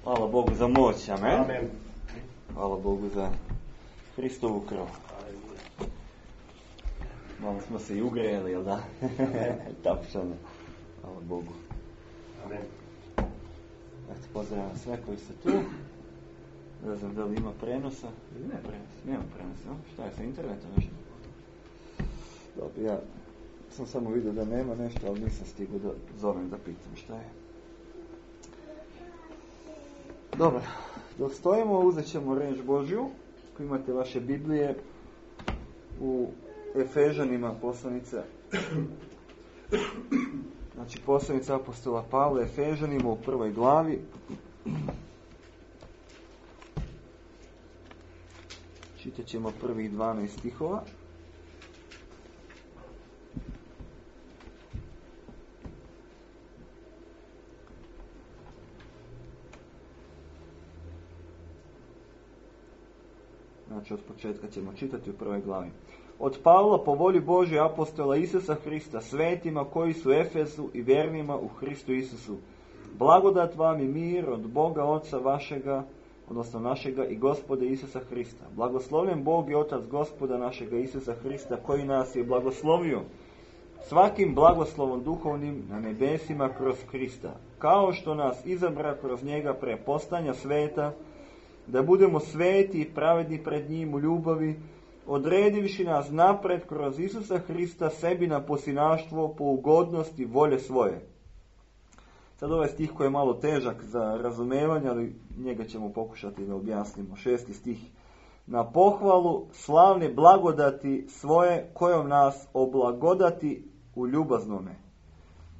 Hvala Bogu za moć, amen. Amen. Hvala Bogu za Hristovu krv. Malo smo se i ugrejali, jel da? Tapšano. Hvala Bogu. Amen. Eto, pozdravljam sve koji ste tu. Ne znam da li ima prenosa. Ili ne prenosa? Nema prenosa, no? Šta je sa internetom nešto? Dobro, ja sam samo vidio da nema nešto, ali nisam stigao da zovem da pitam šta je. Dobro, dok stojimo uzet ćemo riječ Božju. Ako imate vaše Biblije u Efežanima poslanica. Znači poslanica apostola Pavla Efežanima u 1. glavi. Čitat ćemo prvih 12 stihova. Znači od početka ćemo čitati u 1. glavi. Od Pavla po volji Božje apostola Isusa Hrista, svetima koji su u Efesu i vjernima u Hristu Isusu. Blagodat vam i mir od Boga Oca vašega, odnosno našega i Gospoda Isusa Hrista. Blagoslovljen Bog i Otac Gospoda našega Isusa Hrista, koji nas je blagoslovio svakim blagoslovom duhovnim na nebesima kroz Krista, kao što nas izabra kroz njega pre postanja sveta, da budemo sveti i pravedni pred njim u ljubavi, odredivši nas napred kroz Isusa Hrista sebi na posinaštvo po ugodnosti volje svoje. Sad ovaj stih koji je malo težak za razumevanje, ali njega ćemo pokušati da objasnimo. 6. stih. Na pohvalu slavne blagodati svoje kojom nas oblagodati u ljubaznome,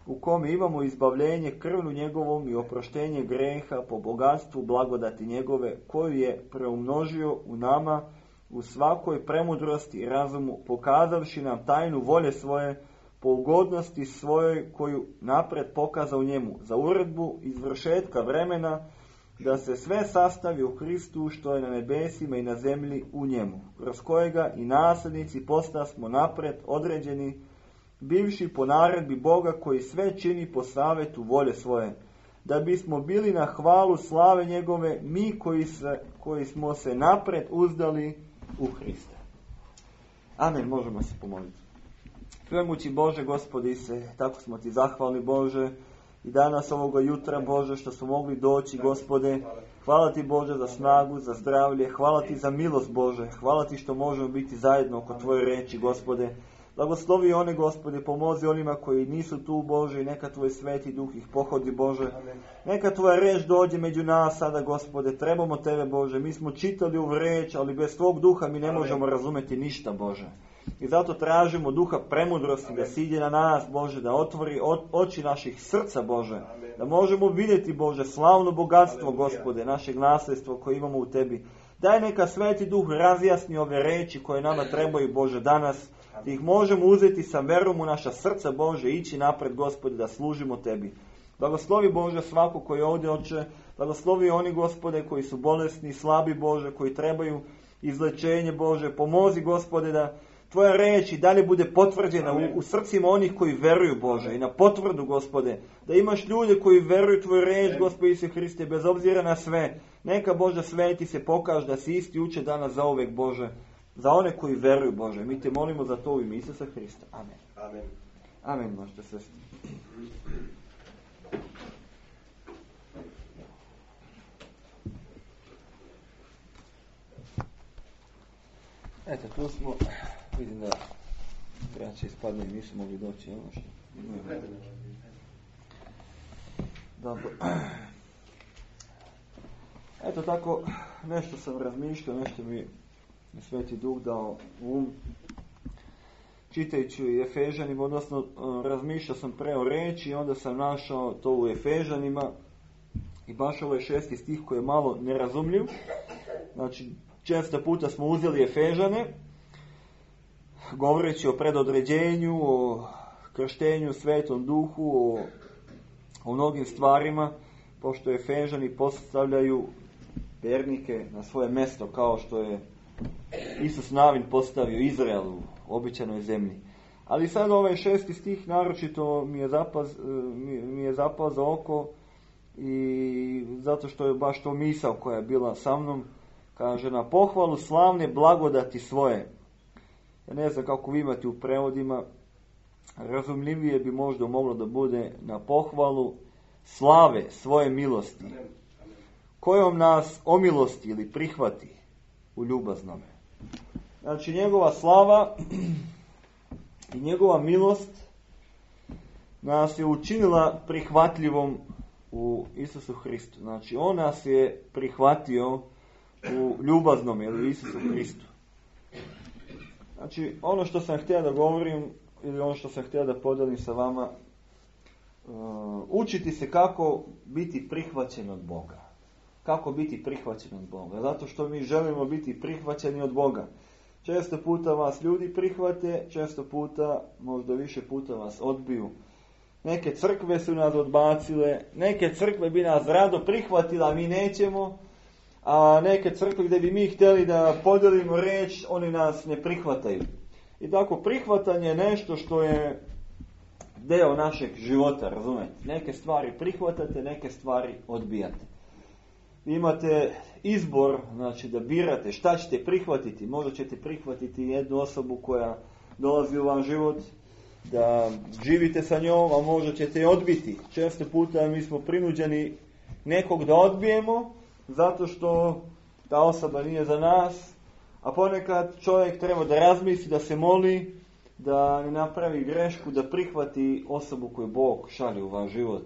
u kome imamo izbavljenje krvnu njegovom i oproštenje greha po bogatstvu blagodati njegove, koju je preumnožio u nama u svakoj premudrosti i razumu, pokazavši nam tajnu volje svoje po ugodnosti svojoj koju napred pokazao njemu, za uredbu izvršetka vremena, da se sve sastavi u Hristu što je na nebesima i na zemlji u njemu, kroz kojega i nasljednici postasmo napred određeni, bivši po naredbi Boga koji sve čini po savjetu volje svoje, da bismo bili na hvalu slave njegove, mi koji smo se napred uzdali u Hrista. Amen, možemo se pomoliti. Svemoći Bože, Gospodi se, tako smo ti zahvalni Bože, i danas ovoga jutra Bože što smo mogli doći, Gospode. Hvala ti Bože za snagu, za zdravlje, hvala ti za milost Bože, hvala ti što možemo biti zajedno oko tvoje reči, Gospode. Blagoslovi one, Gospode, pomozi onima koji nisu tu, Bože, i neka tvoj sveti duh ih pohodi, Bože. Neka tvoja reč dođe među nas sada, Gospode, trebamo tebe, Bože. Mi smo čitali ovu reč, ali bez tvog duha mi ne možemo razumjeti ništa, Bože. I zato tražimo duha premudrosti da siđe na nas, Bože, da otvori oči naših srca, Bože. Da možemo vidjeti, Bože, slavno bogatstvo, Gospode, našeg nasljedstva koje imamo u tebi. Daj neka sveti duh razjasni ove reči koje nama trebaju, Bože, danas. Da ih možemo uzeti sa verom u naša srca, Bože, ići napred, Gospode, da služimo tebi. Blagoslovi, Bože, svako koji je ovdje, Oče. Blagoslovi oni, Gospode, koji su bolesni, slabi, Bože, koji trebaju izlečenje, Bože. Pomozi, Gospode, da tvoja reč i dalje bude potvrđena u srcima onih koji veruju, Bože, i na potvrdu, Gospode, da imaš ljude koji veruju tvoju reč, Gospode Isuse Hriste, bez obzira na sve. Neka, Bože, sveti se pokaže da si isti uče danas za uvek, Bože, za one koji veruju, Bože. Mi te molimo za to u ime Isusa Hrista. Amen. Amen. Amen, možete se. Eto, tu smo. Vidim da braća ispadne i nisu mogli doći. Ono što dobro. Eto tako, nešto sam razmišljao, nešto mi Sveti Duh dao um, čitajući Efežanima, odnosno razmišljao sam pre o reči i onda sam našao to u Efežanima i baš ovaj 6. stih koji je malo nerazumljiv. Znači, često puta smo uzeli Efežane, govoreći o predodređenju, o krštenju Svetom Duhu, o mnogim stvarima, pošto Efežani postavljaju vjernike na svoje mjesto kao što je Isus Navin postavio Izrael u obećanoj zemlji. Ali sad ovaj 6. stih naročito mi je zapao za oko i zato što je baš to misao koja je bila sa mnom, kaže na pohvalu slavne blagodati svoje. Ja ne znam kako vi imate u prevodima, razumljivije bi možda moglo da bude na pohvalu slave svoje milosti, kojom nas omilosti ili prihvati u ljubaznome. Znači njegova slava i njegova milost nas je učinila prihvatljivom u Isusu Hristu. Znači on nas je prihvatio u ljubaznome ili u Isusu Hristu. Znači ono što sam htio da govorim ili ono što sam htio da podelim sa vama, učiti se kako biti prihvaćen od Boga. Kako biti prihvaćen od Boga? Zato što mi želimo biti prihvaćeni od Boga. Često puta vas ljudi prihvate, često puta, možda više puta vas odbiju. Neke crkve su nas odbacile, neke crkve bi nas rado prihvatile, a mi nećemo. A neke crkve gdje bi mi htjeli da podelimo riječ, oni nas ne prihvataju. I tako prihvatanje je nešto što je deo našeg života, razumete? Neke stvari prihvatate, neke stvari odbijate. Vi imate izbor, znači da birate šta ćete prihvatiti. Možda ćete prihvatiti jednu osobu koja dolazi u vam život, da živite sa njom, a možda ćete je odbiti. Često puta mi smo prinuđeni nekog da odbijemo, zato što ta osoba nije za nas, a ponekad čovjek treba da razmisli, da se moli, da ne napravi grešku, da prihvati osobu koju Bog šalje u vaš život,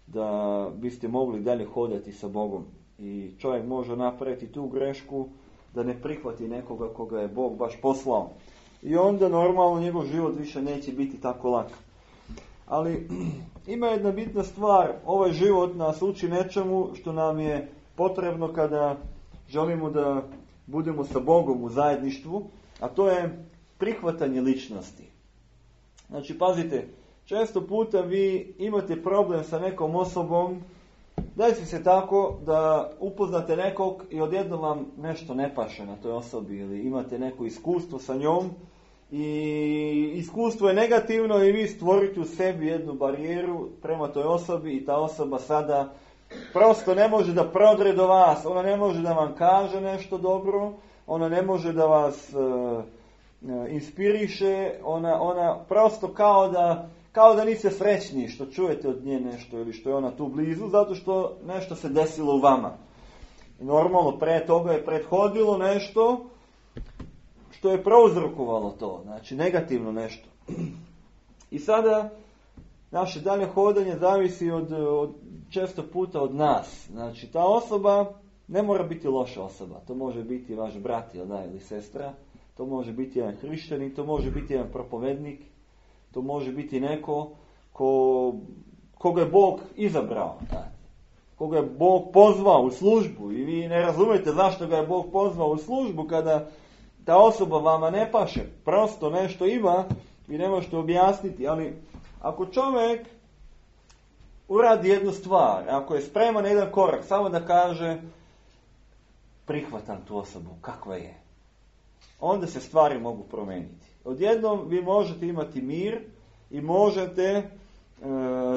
da biste mogli dalje hodati sa Bogom. I čovjek može napraviti tu grešku da ne prihvati nekoga koga je Bog baš poslao. I onda normalno njegov život više neće biti tako lak. Ali ima jedna bitna stvar, ovaj život nas uči nečemu što nam je potrebno kada želimo da budemo sa Bogom u zajedništvu, a to je prihvatanje ličnosti. Znači, pazite, često puta vi imate problem sa nekom osobom, desi se tako da upoznate nekog i odjednom vam nešto ne paše na toj osobi ili imate neko iskustvo sa njom i iskustvo je negativno i vi stvorite u sebi jednu barijeru prema toj osobi i ta osoba sada prosto ne može da prodre do vas, ona ne može da vam kaže nešto dobro, ona ne može da vas inspiriše, ona prosto kao da niste srećni što čujete od nje nešto ili što je ona tu blizu, zato što nešto se desilo u vama. I normalno pre toga je prethodilo nešto što je prouzrokovalo to, znači negativno nešto. I sada naše dalje hodanje zavisi od često puta od nas. Znači ta osoba ne mora biti loša osoba, to može biti vaš brat ili sestra, to može biti jedan hrišćanin, to može biti jedan propovednik, to može biti neko koga je Bog izabrao, koga je Bog pozvao u službu i vi ne razumijete zašto ga je Bog pozvao u službu kada ta osoba vama ne paše. Prosto nešto ima, vi ne možete objasniti, ali ako čovjek uradi jednu stvar, ako je spreman na jedan korak, samo da kaže prihvatam tu osobu, kakva je, onda se stvari mogu promijeniti. Odjednom vi možete imati mir i možete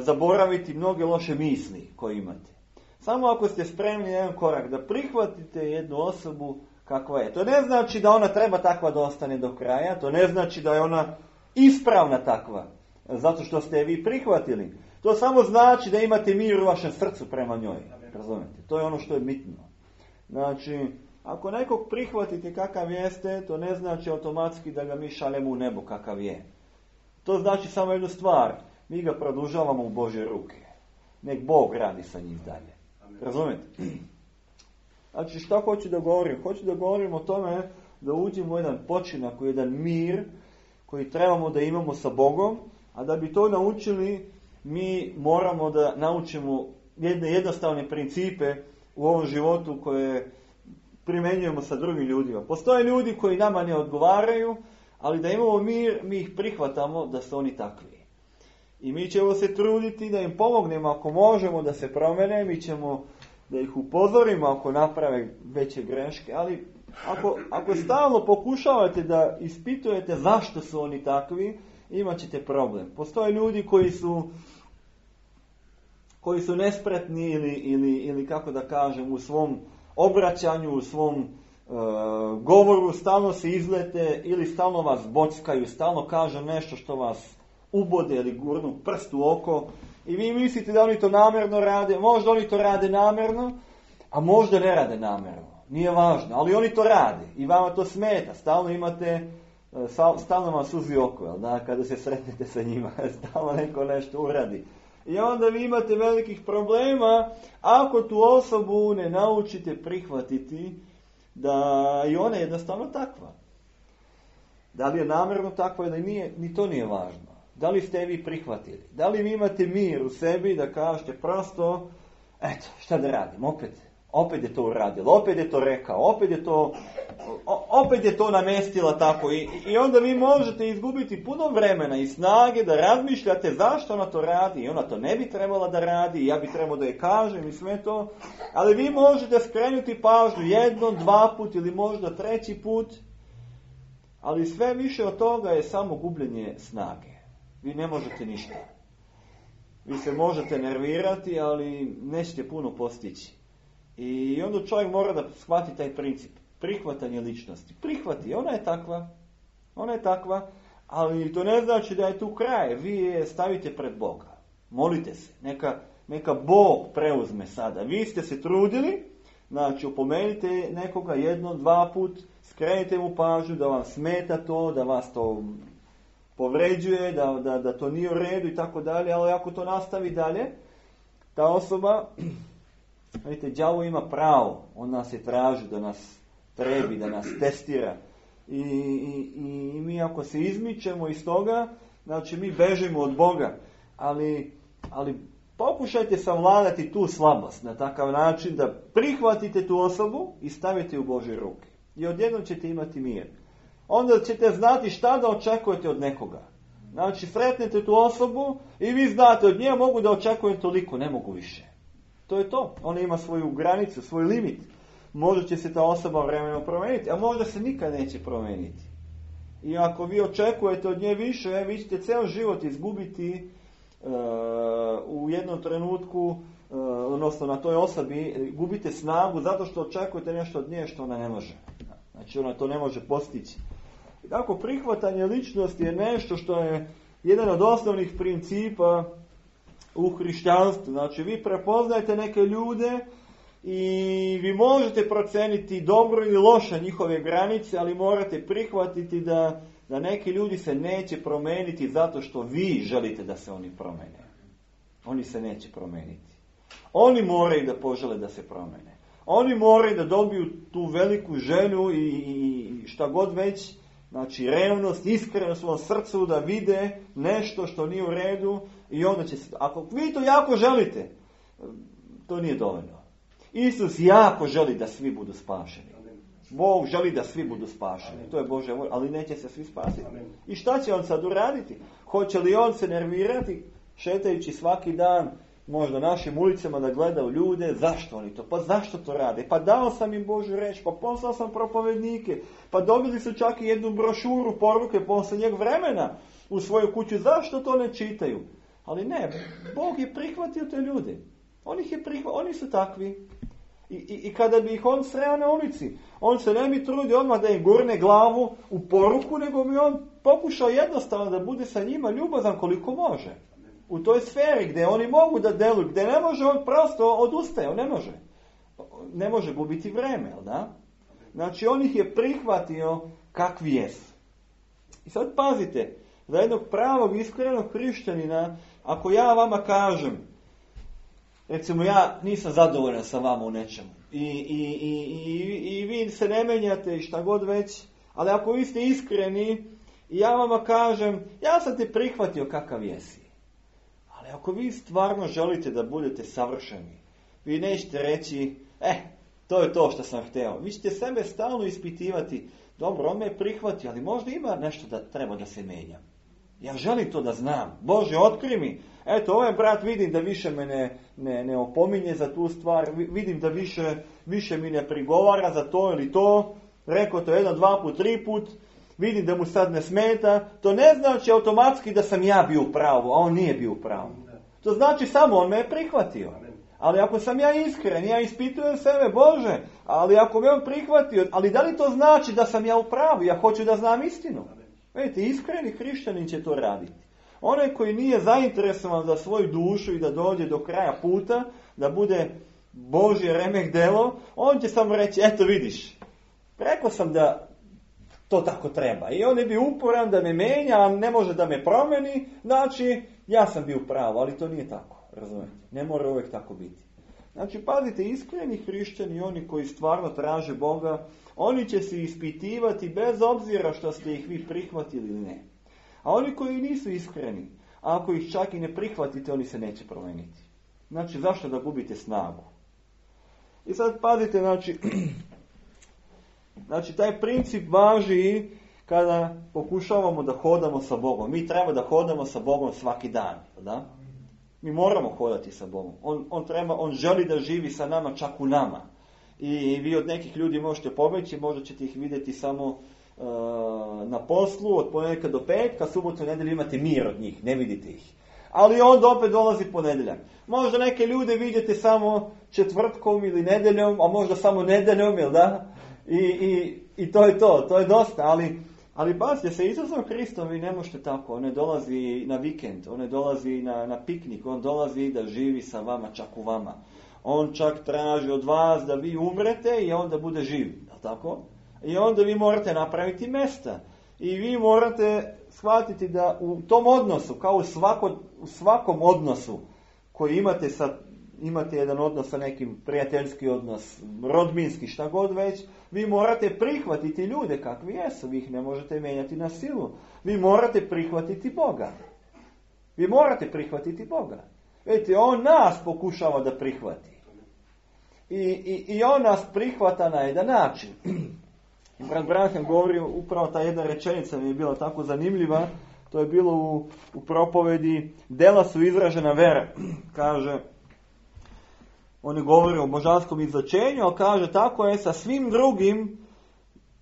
zaboraviti mnoge loše misli koje imate. Samo ako ste spremni na jedan korak da prihvatite jednu osobu kakva je. To ne znači da ona treba takva da ostane do kraja, to ne znači da je ona ispravna takva, zato što ste je vi prihvatili. To samo znači da imate mir u vašem srcu prema njoj. Razumijete? To je ono što je bitno. Znači, ako nekog prihvatite kakav jeste, to ne znači automatski da ga mi šaljemo u nebo kakav je. To znači samo jednu stvar. Mi ga produžavamo u Božje ruke. Nek Bog radi sa njih dalje. Razumijete? Znači, što hoću da govorim? Hoću da govorim o tome da uđemo u jedan počinak, u jedan mir koji trebamo da imamo sa Bogom, a da bi to naučili, mi moramo da naučimo jedne jednostavne principe u ovom životu koje primjenjujemo sa drugim ljudima. Postoje ljudi koji nama ne odgovaraju, ali da imamo mir, mi ih prihvatamo da su oni takvi. I mi ćemo se truditi da im pomognemo ako možemo da se promene, mi ćemo da ih upozorimo ako naprave veće greške, ali ako stalno pokušavate da ispitujete zašto su oni takvi, imat ćete problem. Postoje ljudi koji su koji su nespretni ili kako da kažem, u svom obraćanju, u svom govoru stalno se izlete ili stalno vas bockaju, stalno kaže nešto što vas ubode ili gurnu prst u oko i vi mislite da oni to namjerno rade. Možda oni to rade namjerno, a možda ne rade namjerno. Nije važno, ali oni to rade i vama to smeta. Stalno vam suzi oko, da, kada se sretnete sa njima, stalno neko nešto uradi. I onda vi imate velikih problema ako tu osobu ne naučite prihvatiti da i ona je jednostavno takva. Da li je namjerno takva ili nije, ni to nije važno. Da li ste vi prihvatili? Da li vi imate mir u sebi da kažete prosto, eto, šta da radim, opet je to uradilo, opet je to rekao, opet je to namestila tako i onda vi možete izgubiti puno vremena i snage da razmišljate zašto ona to radi i ona to ne bi trebala da radi i ja bi trebao da je kažem i sve to, ali vi možete skrenuti pažnju 1, 2 put ili možda 3 put, ali sve više od toga je samo gubljenje snage. Vi ne možete ništa. Vi se možete nervirati, ali nećete puno postići. I onda čovjek mora da shvati taj princip. Prihvatanje ličnosti. Prihvati, ona je takva, ali to ne znači da je tu kraj. Vi je stavite pred Boga. Molite se. Neka Bog preuzme sada. Vi ste se trudili, znači opomenite nekoga 1, 2 put, skrenite mu pažnju da vam smeta to, da vas to povređuje, da to nije u redu i tako dalje, ali ako to nastavi dalje, ta osoba, vidite, đavo ima pravo, on nas je traži da nas trebi, da nas testira i mi ako se izmičemo iz toga, znači mi bežimo od Boga, ali pokušajte savladati tu slabost na takav način da prihvatite tu osobu i stavite u Božje ruke i odjednom ćete imati mir. Onda ćete znati šta da očekujete od nekoga. Znači, sretnete tu osobu i vi znate, od nje mogu da očekujem toliko, ne mogu više. To je to. Ona ima svoju granicu, svoj limit. Možda će se ta osoba vremenom promijeniti, a možda se nikad neće promijeniti. I ako vi očekujete od nje više, vi ćete ceo život izgubiti u jednom trenutku, odnosno na toj osobi, gubite snagu zato što očekujete nešto od nje što ona ne može. Znači, ona to ne može postići. I tako, prihvatanje ličnosti je nešto što je jedan od osnovnih principa u hrišćanstvu. Znači, vi prepoznajete neke ljude i vi možete proceniti dobro ili loše njihove granice, ali morate prihvatiti da neki ljudi se neće promeniti zato što vi želite da se oni promene. Oni se neće promeniti. Oni moraju da požele da se promene. Oni moraju da dobiju tu veliku želju i šta god već, znači revnost, iskrenost u svom srcu da vide nešto što nije u redu i onda će se, ako vi to jako želite, to nije dovoljno. Isus jako želi da svi budu spašeni. Bog želi da svi budu spašeni. To je Božja volja, ali neće se svi spasiti. I šta će on sad uraditi? Hoće li on se nervirati šetajući svaki dan možda našim ulicama da gledaju ljude, zašto oni to? Pa zašto to rade? Pa dao sam im Božju reč, pa poslao sam propovednike, pa dobili su čak i jednu brošuru, poruke posljednjeg vremena u svoju kuću, zašto to ne čitaju? Ali ne, Bog je prihvatio te ljude. Oni su takvi. I kada bi ih on sreo na ulici, on se ne bi trudio odmah da im gurne glavu u poruku, nego bi on pokušao jednostavno da bude sa njima ljubazan koliko može. U toj sferi gdje oni mogu da deluju, gdje ne može, on prosto odustaje, on ne može gubiti vreme, da? Znači, on ih je prihvatio kakvi jesu. I sad pazite, za jednog pravog, iskrenog hrišćanina, ako ja vama kažem, recimo, ja nisam zadovoljan sa vama u nečemu i vi se ne menjate i šta god već, ali ako vi ste iskreni i ja vama kažem, ja sam te prihvatio kakav jesi. Ali ako vi stvarno želite da budete savršeni, vi nećete reći, to je to što sam hteo. Vi ćete sebe stalno ispitivati, dobro, on me je prihvatio, ali možda ima nešto da treba da se menja. Ja želim to da znam. Bože, otkrij mi. Eto, ovaj brat vidim da više me ne opominje za tu stvar, vidim da više mi ne prigovara za to ili to, rekao to 1, 2 put, 3 put, vidim da mu sad ne smeta, to ne znači automatski da sam ja bio u pravu, a on nije bio u pravu. To znači samo on me je prihvatio. Ali ako sam ja iskren, ja ispitujem sebe, Bože, ali ako me on prihvatio, ali da li to znači da sam ja u pravu? Ja hoću da znam istinu. Vidite, iskreni hrišćanin će to raditi. Onaj koji nije zainteresovan za svoju dušu i da dođe do kraja puta, da bude Božje remek delo, on će samo reći, eto vidiš, rekao sam da to tako treba. I on je bio uporan da me menja, a ne može da me promeni, znači ja sam bio pravo, ali to nije tako. Razumijete? Ne mora uvijek tako biti. Znači, pazite, iskreni hrišćani, oni koji stvarno traže Boga, oni će se ispitivati bez obzira što ste ih vi prihvatili ili ne. A oni koji nisu iskreni, ako ih čak i ne prihvatite, oni se neće promijeniti. Znači, zašto da gubite snagu? I sad pazite, znači taj princip važi kada pokušavamo da hodamo sa Bogom. Mi treba da hodamo sa Bogom svaki dan, da? Mi moramo hodati sa Bogom. On želi da živi sa nama, čak u nama. I vi od nekih ljudi možete pobeći, možda ćete ih vidjeti samo na poslu, od ponedjeljka do petka, subotu i nedjelju imate mir od njih, ne vidite ih. Ali onda opet dolazi ponedjeljak. Možda neke ljude vidite samo četvrtkom ili nedjeljom, a možda samo nedjeljom, jel da? I to je to je dosta, ali pazite, sa Isusom Hristom vi ne možete tako. On ne dolazi na vikend, on ne dolazi na piknik, on dolazi da živi sa vama, čak u vama. On čak traži od vas da vi umrete i onda bude živ, jel tako? I onda vi morate napraviti mjesta. I vi morate shvatiti da u tom odnosu, kao u svakom odnosu koji imate jedan odnos sa nekim, prijateljski odnos, rodbinski, šta god već, vi morate prihvatiti ljude kakvi jesu, vi ih ne možete mijenjati na silu. Vi morate prihvatiti Boga. Vi morate prihvatiti Boga. Vidite, on nas pokušava da prihvati. I on nas prihvata na jedan način. I brat Branham govori, upravo ta jedna rečenica mi je bila tako zanimljiva, to je bilo u propovedi, dela su izražena vera. Kaže, on je govorio o božanskom izlačenju, ali kaže, tako je, sa svim drugim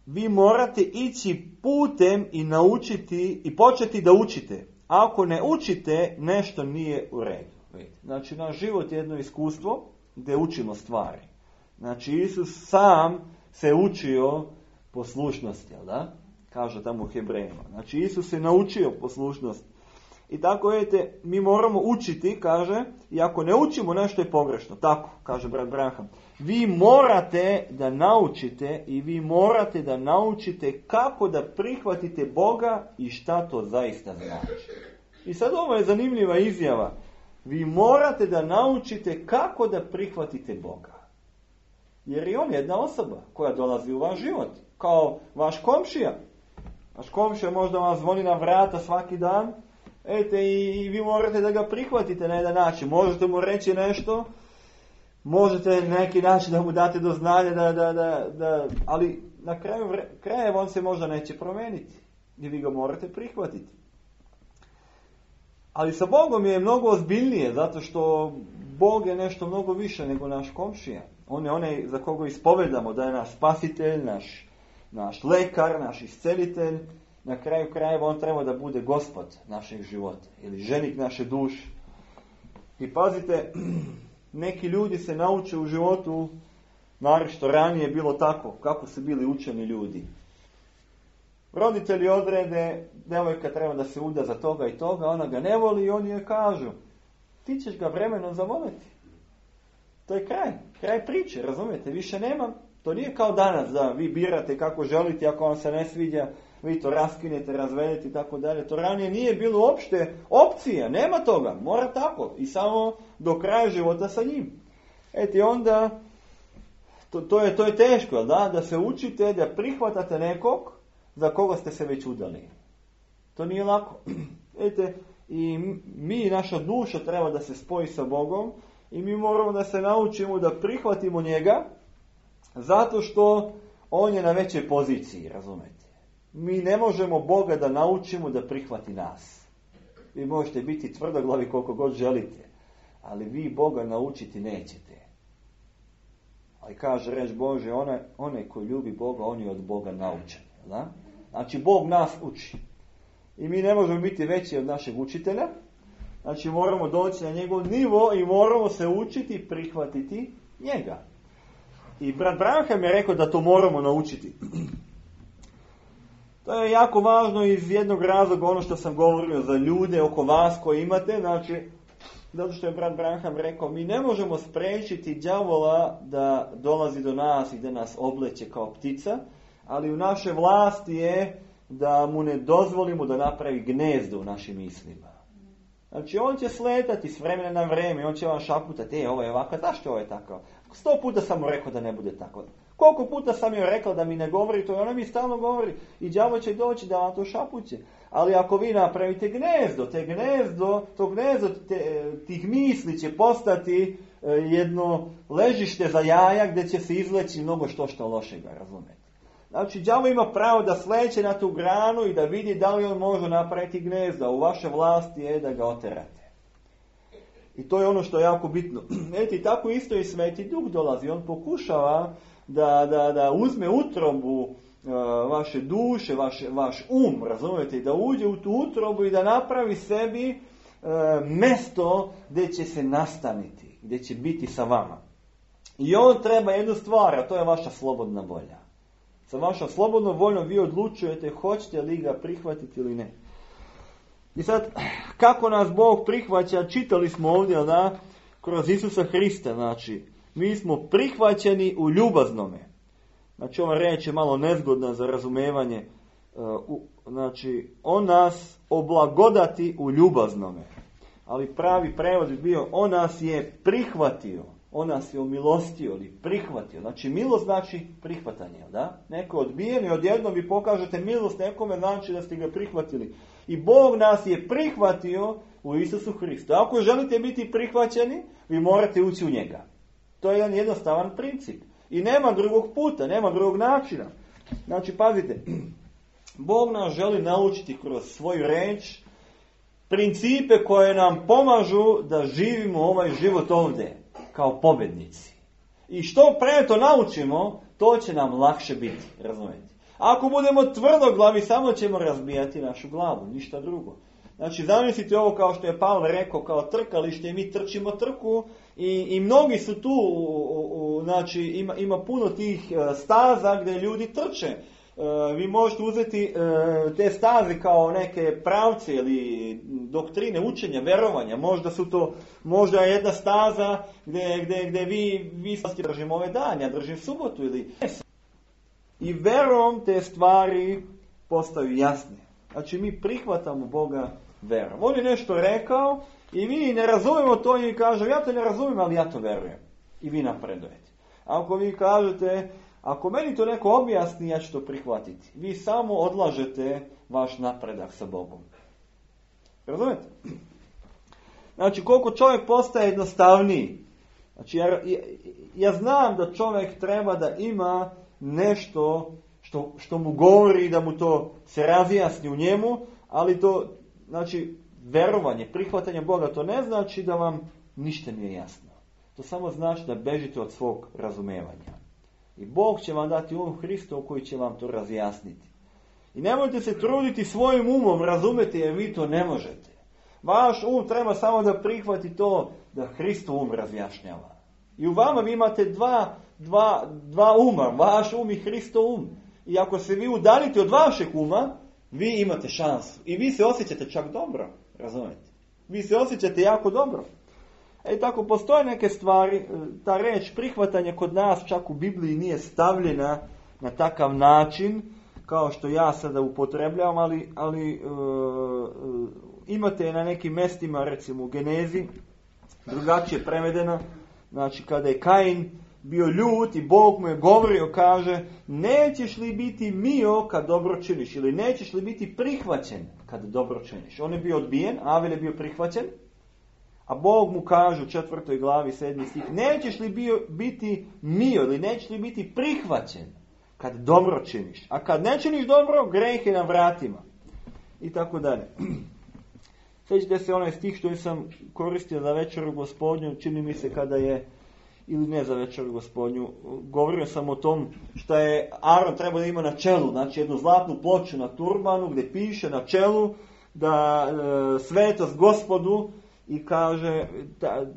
vi morate ići putem i naučiti i početi da učite. Ako ne učite, nešto nije u redu. Znači, naš život je jedno iskustvo gdje učimo stvari. Znači, Isus sam se učio poslušnosti, jel da? Kaže tamo u Hebrejima. Znači, Isus se naučio poslušnost. I tako, vidite, mi moramo učiti, kaže, i ako ne učimo, nešto je pogrešno. Tako, kaže brat Branham. Vi morate da naučite i vi morate da naučite kako da prihvatite Boga i šta to zaista znači. I sad ovo je zanimljiva izjava. Vi morate da naučite kako da prihvatite Boga. Jer je on jedna osoba koja dolazi u vaš život. Kao vaš komšija. Vaš komšija možda vam zvoni na vrata svaki dan. I vi morate da ga prihvatite na jedan način. Možete mu reći nešto. Možete na neki način da mu date do znanja. Ali na kraju on se možda neće promijeniti. I vi ga morate prihvatiti. Ali sa Bogom je mnogo ozbiljnije, zato što Bog je nešto mnogo više nego naš komšija. On je onaj za koga ispovedamo da je naš spasitelj, naš lekar, naš iscelitelj. Na kraju krajeva on treba da bude gospod našeg života ili ženik naše duše. I pazite, neki ljudi se nauče u životu, naročito ranije je bilo tako, kako su bili učeni ljudi. Roditelji odrede, devojka treba da se uda za toga i toga, ona ga ne voli i oni joj kažu, ti ćeš ga vremenom zavoliti. To je kraj priče, razumijete, više nema. To nije kao danas da vi birate kako želite, ako vam se ne sviđa, vi to raskinete, razvedete i tako dalje. To ranije nije bilo uopšte opcija, nema toga, mora tako i samo do kraja života sa njim. I onda, to je teško, da se učite, da prihvatate nekog za koga ste se već udali. To nije lako. Vidite, i mi, naša duša treba da se spoji sa Bogom i mi moramo da se naučimo da prihvatimo njega zato što on je na većoj poziciji, razumete. Mi ne možemo Boga da naučimo da prihvati nas. Vi možete biti tvrdoglavi koliko god želite, ali vi Boga naučiti nećete. Ali kaže reč Bože, onaj koji ljubi Boga, on je od Boga naučen. Da? Znači, Bog nas uči. I mi ne možemo biti veći od našeg učitelja. Znači moramo doći na njegov nivo i moramo se učiti prihvatiti njega. I brat Branham je rekao da to moramo naučiti. To je jako važno iz jednog razloga, ono što sam govorio za ljude oko vas koji imate, znači, zato što je brat Branham rekao, mi ne možemo spriječiti đavola da dolazi do nas i da nas obleće kao ptica, ali u našoj vlasti je da mu ne dozvolimo da napravi gnezdo u našim mislima. Znači, on će sletati s vremena na vrijeme, on će vam šaputati, ovo je ovako, zašto ovo je tako? 100 puta sam mu rekao da ne bude tako. Koliko puta sam joj rekao da mi ne govori to, i ona mi stalno govori. I đavo će doći da vam to šapuće. Ali ako vi napravite gnezdo, to gnezdo tih misli će postati jedno ležište za jaja gdje će se izleći mnogo što lošega, razumete? Znači, đavo ima pravo da sleće na tu granu i da vidi da li on može napraviti gnezdo. U vaše vlasti je da ga oterate. I to je ono što je jako bitno. Vidite, tako isto i Sveti Duh dolazi. On pokušava da uzme utrobu vaše duše, vaš razumijete, da uđe u tu utrobu i da napravi sebi mjesto gdje će se nastaniti, gdje će biti sa vama. I on treba jednu stvar, a to je vaša slobodna volja. Sa vašom slobodnom voljom vi odlučujete hoćete li ga prihvatiti ili ne. I sad, kako nas Bog prihvaća, čitali smo ovdje, da, kroz Isusa Hrista, znači, mi smo prihvaćeni u ljubaznome. Znači, ova riječ je malo nezgodna za razumevanje. Znači, on nas oblagodati u ljubaznome. Ali pravi prevod bi bio, on nas je prihvatio. On nas je omilostio ili prihvatio. Znači, milost znači prihvatanje, da? Neko odbijen i odjednom vi pokažete milost nekome, znači da ste ga prihvatili. I Bog nas je prihvatio u Isusu Hristu. Ako želite biti prihvaćeni, vi morate ući u njega. To je jedan jednostavan princip. I nema drugog puta, nema drugog načina. Znači, pazite, Bog nas želi naučiti kroz svoju riječ principe koje nam pomažu da živimo ovaj život ovdje kao pobjednici. I što pre to naučimo, to će nam lakše biti, razumijete? Ako budemo tvrdoglavi, samo ćemo razbijati našu glavu, ništa drugo. Znači, zamislite ovo kao što je Pavle rekao, kao trkalište, mi trčimo trku i mnogi su tu, znači ima puno tih staza gdje ljudi trče. Vi možete uzeti te staze kao neke pravce ili doktrine učenja, verovanja. Možda su to, možda je jedna staza gdje vi držim ove dane, ja držim subotu ili... I verom te stvari postaju jasne. Znači, mi prihvatamo Boga verom. On je nešto rekao i mi ne razumemo to i kažemo, ja to ne razumijem, ali ja to verujem. I vi napredujete. Ako vi kažete, ako meni to neko objasni, ja ću to prihvatiti. Vi samo odlažete vaš napredak sa Bogom. Razumete? Znači, koliko čovjek postaje jednostavniji. Znači, ja znam da čovjek treba da ima nešto što mu govori, da mu to se razjasni u njemu, ali to, znači, verovanje, prihvatanje Boga, to ne znači da vam ništa nije jasno. To samo znači da bežite od svog razumevanja. I Bog će vam dati um Hristov koji će vam to razjasniti. I nemojte se truditi svojim umom razumjeti, jer vi to ne možete. Vaš treba samo da prihvati to da Hristov razjašnjava. I u vama vi imate dva uma, vaš i Hristov I ako se vi udaljite od vašeg uma, vi imate šansu. I vi se osjećate čak dobro, razumijete? Vi se osjećate jako dobro. Tako postoje neke stvari, ta reč prihvatanje kod nas čak u Bibliji nije stavljena na takav način, kao što ja sada upotrebljavam, ali imate na nekim mjestima, recimo u Genezi, drugačije prevedena, znači kada je Kain bio ljut i Bog mu je govorio, kaže, nećeš li biti mio kad dobro činiš, ili nećeš li biti prihvaćen kad dobro činiš. On je bio odbijen, Avel je bio prihvaćen, a Bog mu kaže u 4. glavi 7. stih, nećeš li biti mio ili nećeš li biti prihvaćen kad dobro činiš. A kad ne činiš dobro, greh je na vratima. I tako dalje. Sjećate se onaj stih što sam koristio za večeru Gospodnju, čini mi se kada je, ili ne za večeru Gospodnju, govorio sam o tom što je Aron trebao da ima na čelu, znači jednu zlatnu ploču na turbanu gdje piše na čelu da svetost Gospodu i kaže,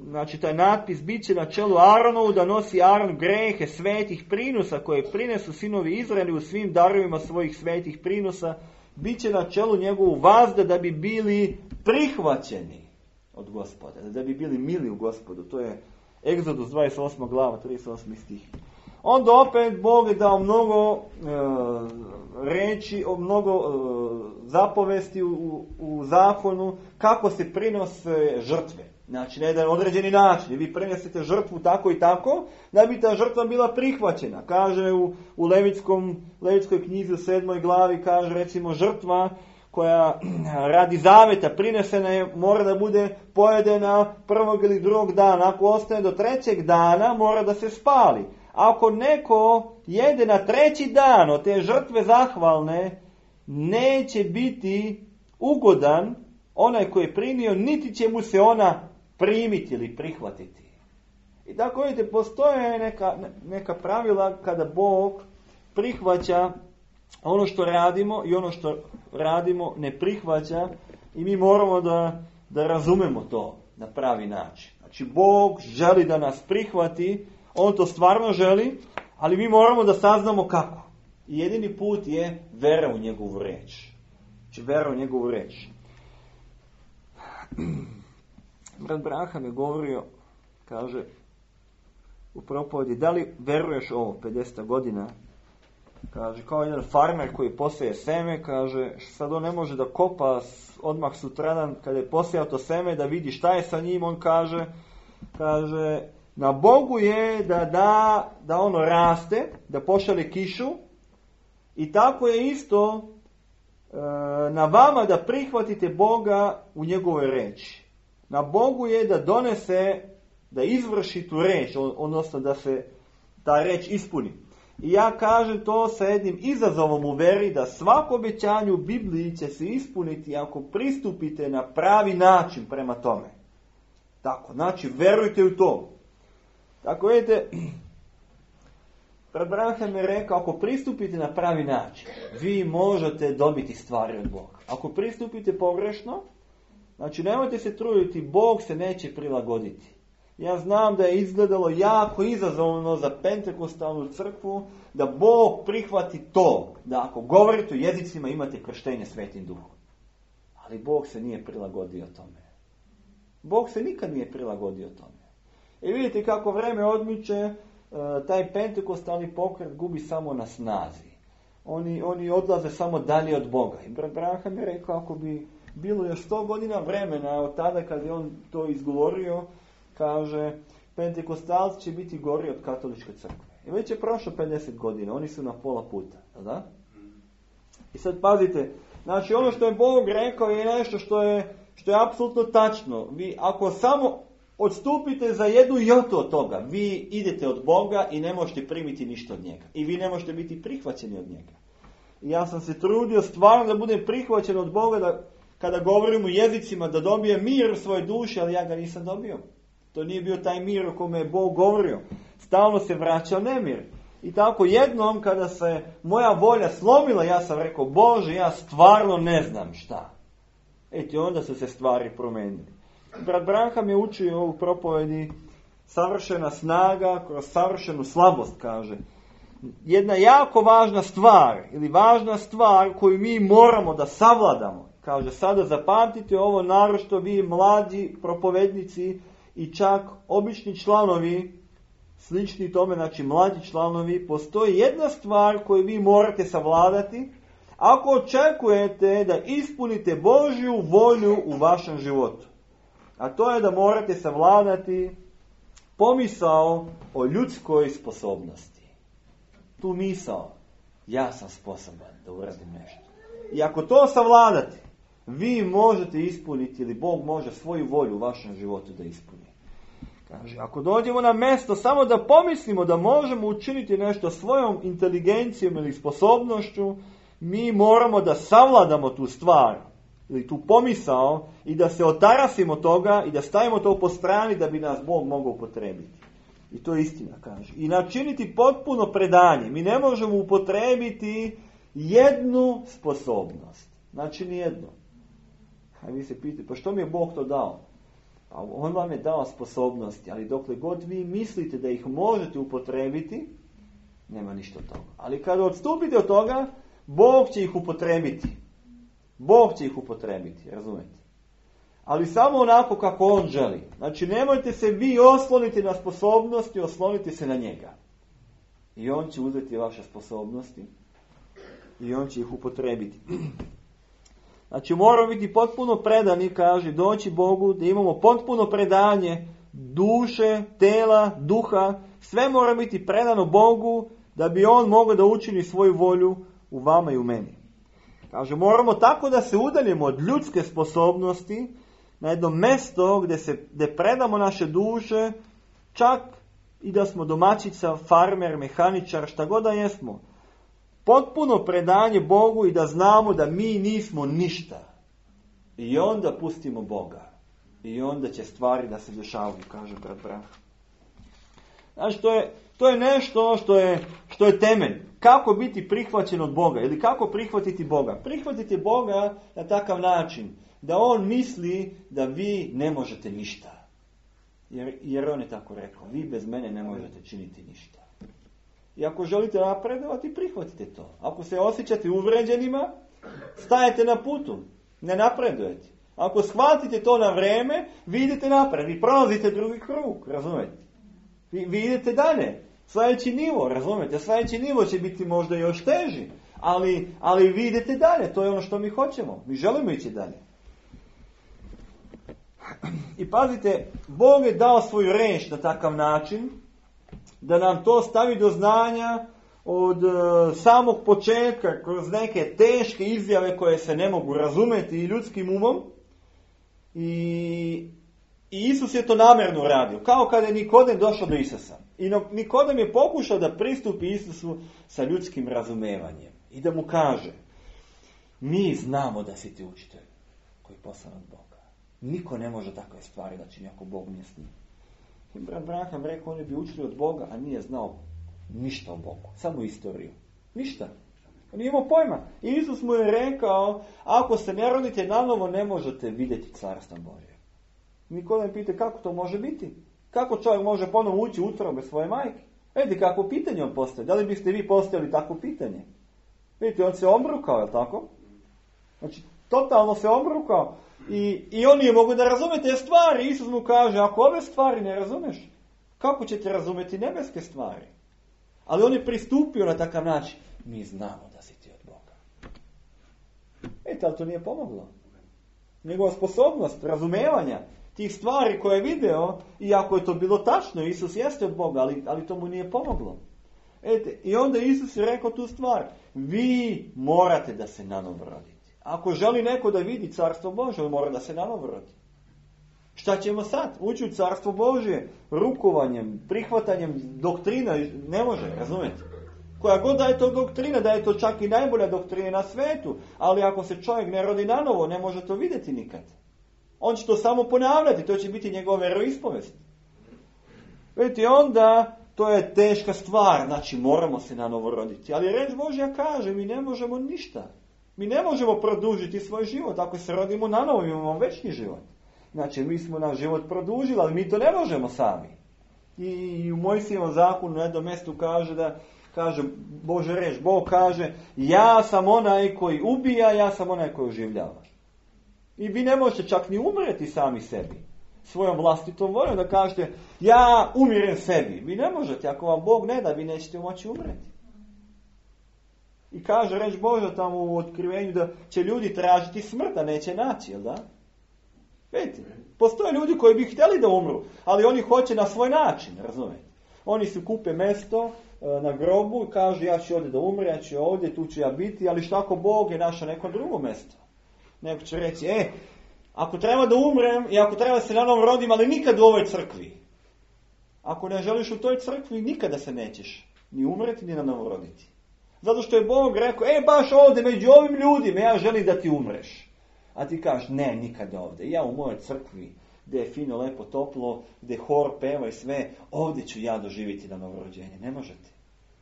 znači taj natpis bit će na čelu Aaronovu da nosi Aaron grehe svetih prinosa koje prinesu sinovi Izraeli u svim darovima svojih svetih prinosa, bit će na čelu njegovu vazda da bi bili prihvaćeni od Gospoda, da bi bili mili u Gospodu. To je Egzodus 28. glava, 38. stih. Onda opet Bog je dao mnogo reči, mnogo zapovesti u zakonu kako se prinose žrtve. Znači na jedan određeni način. Vi prinesete žrtvu tako i tako da bi ta žrtva bila prihvaćena. Kaže u Levitskoj knjizi u 7. glavi, kaže recimo žrtva koja radi zaveta prinesena je, mora da bude pojedena prvog ili drugog dana. Ako ostane do trećeg dana, mora da se spali. Ako neko jede na treći dan od te žrtve zahvalne, neće biti ugodan onaj koji je primio, niti će mu se ona primiti ili prihvatiti. I tako vidite, postoje neka pravila kada Bog prihvaća ono što radimo i ono što radimo ne prihvaća i mi moramo da razumemo to na pravi način. Znači, Bog želi da nas prihvati, on to stvarno želi, ali mi moramo da saznamo kako. I jedini put je vera u njegovu reč. Znači, vera u njegovu reč. Brat Branham je govorio, kaže, u propovedi, da li veruješ ovo, 50 godina, kaže, kao jedan farmer koji poseje seme, kaže, sad on ne može da kopa odmah sutradan kada je posejao to seme, da vidi šta je sa njim, on kaže, na Bogu je da ono raste, da pošalje kišu i tako je isto na vama da prihvatite Boga u njegovoj reči. Na Bogu je da donese, da izvrši tu reč, odnosno da se ta reč ispuni. I ja kažem to sa jednim izazovom u veri, da svako obećanje u Bibliji će se ispuniti ako pristupite na pravi način prema tome. Tako, znači verujte u to. Tako vidite, Branham je rekao, ako pristupite na pravi način, vi možete dobiti stvari od Boga. Ako pristupite pogrešno, znači nemojte se truditi, Bog se neće prilagoditi. Ja znam da je izgledalo jako izazovno za pentekostalnu crkvu da Bog prihvati to, da ako govorite u jezicima imate krštenje Svetim Duhom. Ali Bog se nije prilagodio tome. Bog se nikad nije prilagodio tome. I vidite kako vreme odmiče, taj pentekostalni pokret gubi samo na snazi. Oni odlaze samo dalje od Boga. I brat Branham je rekao, ako bi bilo još 100 godina vremena od tada kad je on to izgovorio, kaže, pentekostalci će biti gori od katoličke crkve. I već je prošlo 50 godina, oni su na pola puta. Da? I sad pazite, znači ono što je Bog rekao je nešto što je apsolutno tačno. Vi ako samo odstupite za jednu jotu od toga, vi idete od Boga i ne možete primiti ništa od njega. I vi ne možete biti prihvaćeni od njega. I ja sam se trudio stvarno da budem prihvaćen od Boga, da kada govorim u jezicima da dobijem mir u svojoj duši, ali ja ga nisam dobio. To nije bio taj mir o kome je Bog govorio. Stalno se vraćao nemir. I tako jednom kada se moja volja slomila, ja sam rekao, Bože, ja stvarno ne znam šta. Eto, onda su se stvari promenili. Brat Branham je učio ovu propovedi savršena snaga kroz savršenu slabost, kaže. Jedna jako važna stvar, ili važna stvar koju mi moramo da savladamo. Kaže, sada zapamtite ovo, naročito vi mlađi propovednici i čak obični članovi, slični tome, znači mlađi članovi, postoji jedna stvar koju vi morate savladati ako očekujete da ispunite Božju volju u vašem životu. A to je da morate savladati pomisao o ljudskoj sposobnosti. Tu misao, ja sam sposoban da uradim nešto. I ako to savladate, vi možete ispuniti, ili Bog može svoju volju u vašem životu da ispuni. Kaže, ako dođemo na mjesto samo da pomislimo da možemo učiniti nešto svojom inteligencijom ili sposobnošću, mi moramo da savladamo tu stvar ili tu pomisao i da se otarasimo toga i da stavimo to po strani da bi nas Bog mogao upotrebiti. I to je istina, kaže. I načiniti potpuno predanje. Mi ne možemo upotrebiti jednu sposobnost. Znači nijednu. A vi se pitate, pa što mi je Bog to dao? On vam je dao sposobnosti, ali dokle god vi mislite da ih možete upotrebiti, nema ništa od toga. Ali kada odstupite od toga, Bog će ih upotrebiti. Bog će ih upotrebiti, razumete? Ali samo onako kako On želi. Znači, nemojte se vi osloniti na sposobnosti, oslonite se na njega. I On će uzeti vaše sposobnosti i On će ih upotrebiti. Znači, moramo biti potpuno predani, kaže, doći Bogu, da imamo potpuno predanje duše, tela, duha. Sve mora biti predano Bogu, da bi On mogao da učini svoju volju u vama i u meni. Kaže, moramo tako da se udaljimo od ljudske sposobnosti na jedno mesto gdje predamo naše duše, čak i da smo domaćica, farmer, mehaničar, šta god da jesmo. Potpuno predanje Bogu i da znamo da mi nismo ništa. I onda pustimo Boga. I onda će stvari da se dešavaju, kaže brat Branha. Znači, to je nešto što je temelj. Kako biti prihvaćen od Boga? Ili kako prihvatiti Boga? Prihvatiti Boga na takav način da On misli da vi ne možete ništa. Jer On je tako rekao. Vi bez mene ne možete činiti ništa. I ako želite napredovati, prihvatite to. Ako se osjećate uvređenima, stajete na putu. Ne napredujete. Ako shvatite to na vreme, vi idete napred. Vi prolazite drugi krug, razumete? Vi idete dalje. Sljedeći nivo, razumete? Sljedeći nivo će biti možda još teži. Ali vi idete dalje. To je ono što mi hoćemo. Mi želimo ići dalje. I pazite, Bog je dao svoju riječ na takav način da nam to stavi do znanja od samog početka, kroz neke teške izjave koje se ne mogu razumjeti i ljudskim umom. I Isus je to namjerno radio. Kao kada je Nikodem došao do Isusa. I Nikodem je pokušao da pristupi Isusu sa ljudskim razumevanjem. I da mu kaže, mi znamo da si ti učitelj koji je poslan od Boga. Niko ne može takve stvari da čini ako Bog nije s njim. I brat Branham rekao, oni bi učili od Boga, a nije znao ništa o Bogu. Samo istoriju. Ništa. On nije imao pojma. I Isus mu je rekao, ako se ne rodite nanovo, ne možete vidjeti carstvo Božje. Nikodem pita, kako to može biti? Kako čovjek može ponovo ući u utrobe svoje majke? Vidite kako pitanje on postaje. Da li biste vi postavili takvo pitanje? Vidite, on se obrukao, je li tako? Znači, totalno se obrukao. I on nije mogu da razume te stvari. Isus mu kaže, ako ove stvari ne razumeš, kako ćete razumjeti nebeske stvari? Ali on je pristupio na takav način. Mi znamo da si ti od Boga. Ali to nije pomoglo. Njegova sposobnost razumevanja tih stvari koje je video, iako je to bilo tačno, Isus jeste od Boga, ali to mu nije pomoglo. I onda Isus je rekao tu stvar. Vi morate da se nanovo rodite. Ako želi neko da vidi carstvo Božje, on mora da se nanovo rodi. Šta ćemo sad? Ući u carstvo Božje rukovanjem, prihvatanjem doktrina ne može, razumijete? Koja god da je to doktrina, da je to čak i najbolja doktrina na svetu, ali ako se čovjek ne rodi nanovo, ne može to vidjeti nikad. On će to samo ponavljati, to će biti njegova veroispovest. Vidite, onda to je teška stvar, znači moramo se nanovo roditi. Ali reč Božja kaže, mi ne možemo ništa. Mi ne možemo produžiti svoj život. Ako se rodimo nanovo, imamo večni život. Znači, mi smo naš život produžili, ali mi to ne možemo sami. I u Mojsijevom zakonu na jednom mjestu kaže Bože reč, Bog kaže, ja sam onaj koji ubija, ja sam onaj koji oživljava. I vi ne možete čak ni umreti sami sebi. Svojom vlastitom voljom da kažete, ja umirem sebi. Vi ne možete, ako vam Bog ne da, vi nećete moći umreti. I kaže reč Božja tamo u otkrivenju da će ljudi tražiti smrt, a neće naći, jel da? Vidite, postoje ljudi koji bi htjeli da umru, ali oni hoće na svoj način, razumijete? Oni se kupe mjesto na grobu i kažu ja ću ovdje da umre, ja ću ovdje, tu ću ja biti, ali šta ako Bog je našao neko drugo mjesto? Neko će reći, ako treba da umrem i ako treba se na novo rodim, ali nikad u ovoj crkvi. Ako ne želiš u toj crkvi, nikada se nećeš ni umreti, ni na novo roditi. Zato što je Bog rekao, baš ovdje među ovim ljudima, ja želim da ti umreš. A ti kažeš, ne, nikad ovdje. Ja u mojoj crkvi, gdje je fino, lepo, toplo, gdje hor peva i sve, ovdje ću ja doživjeti na novorođenje. Ne možete.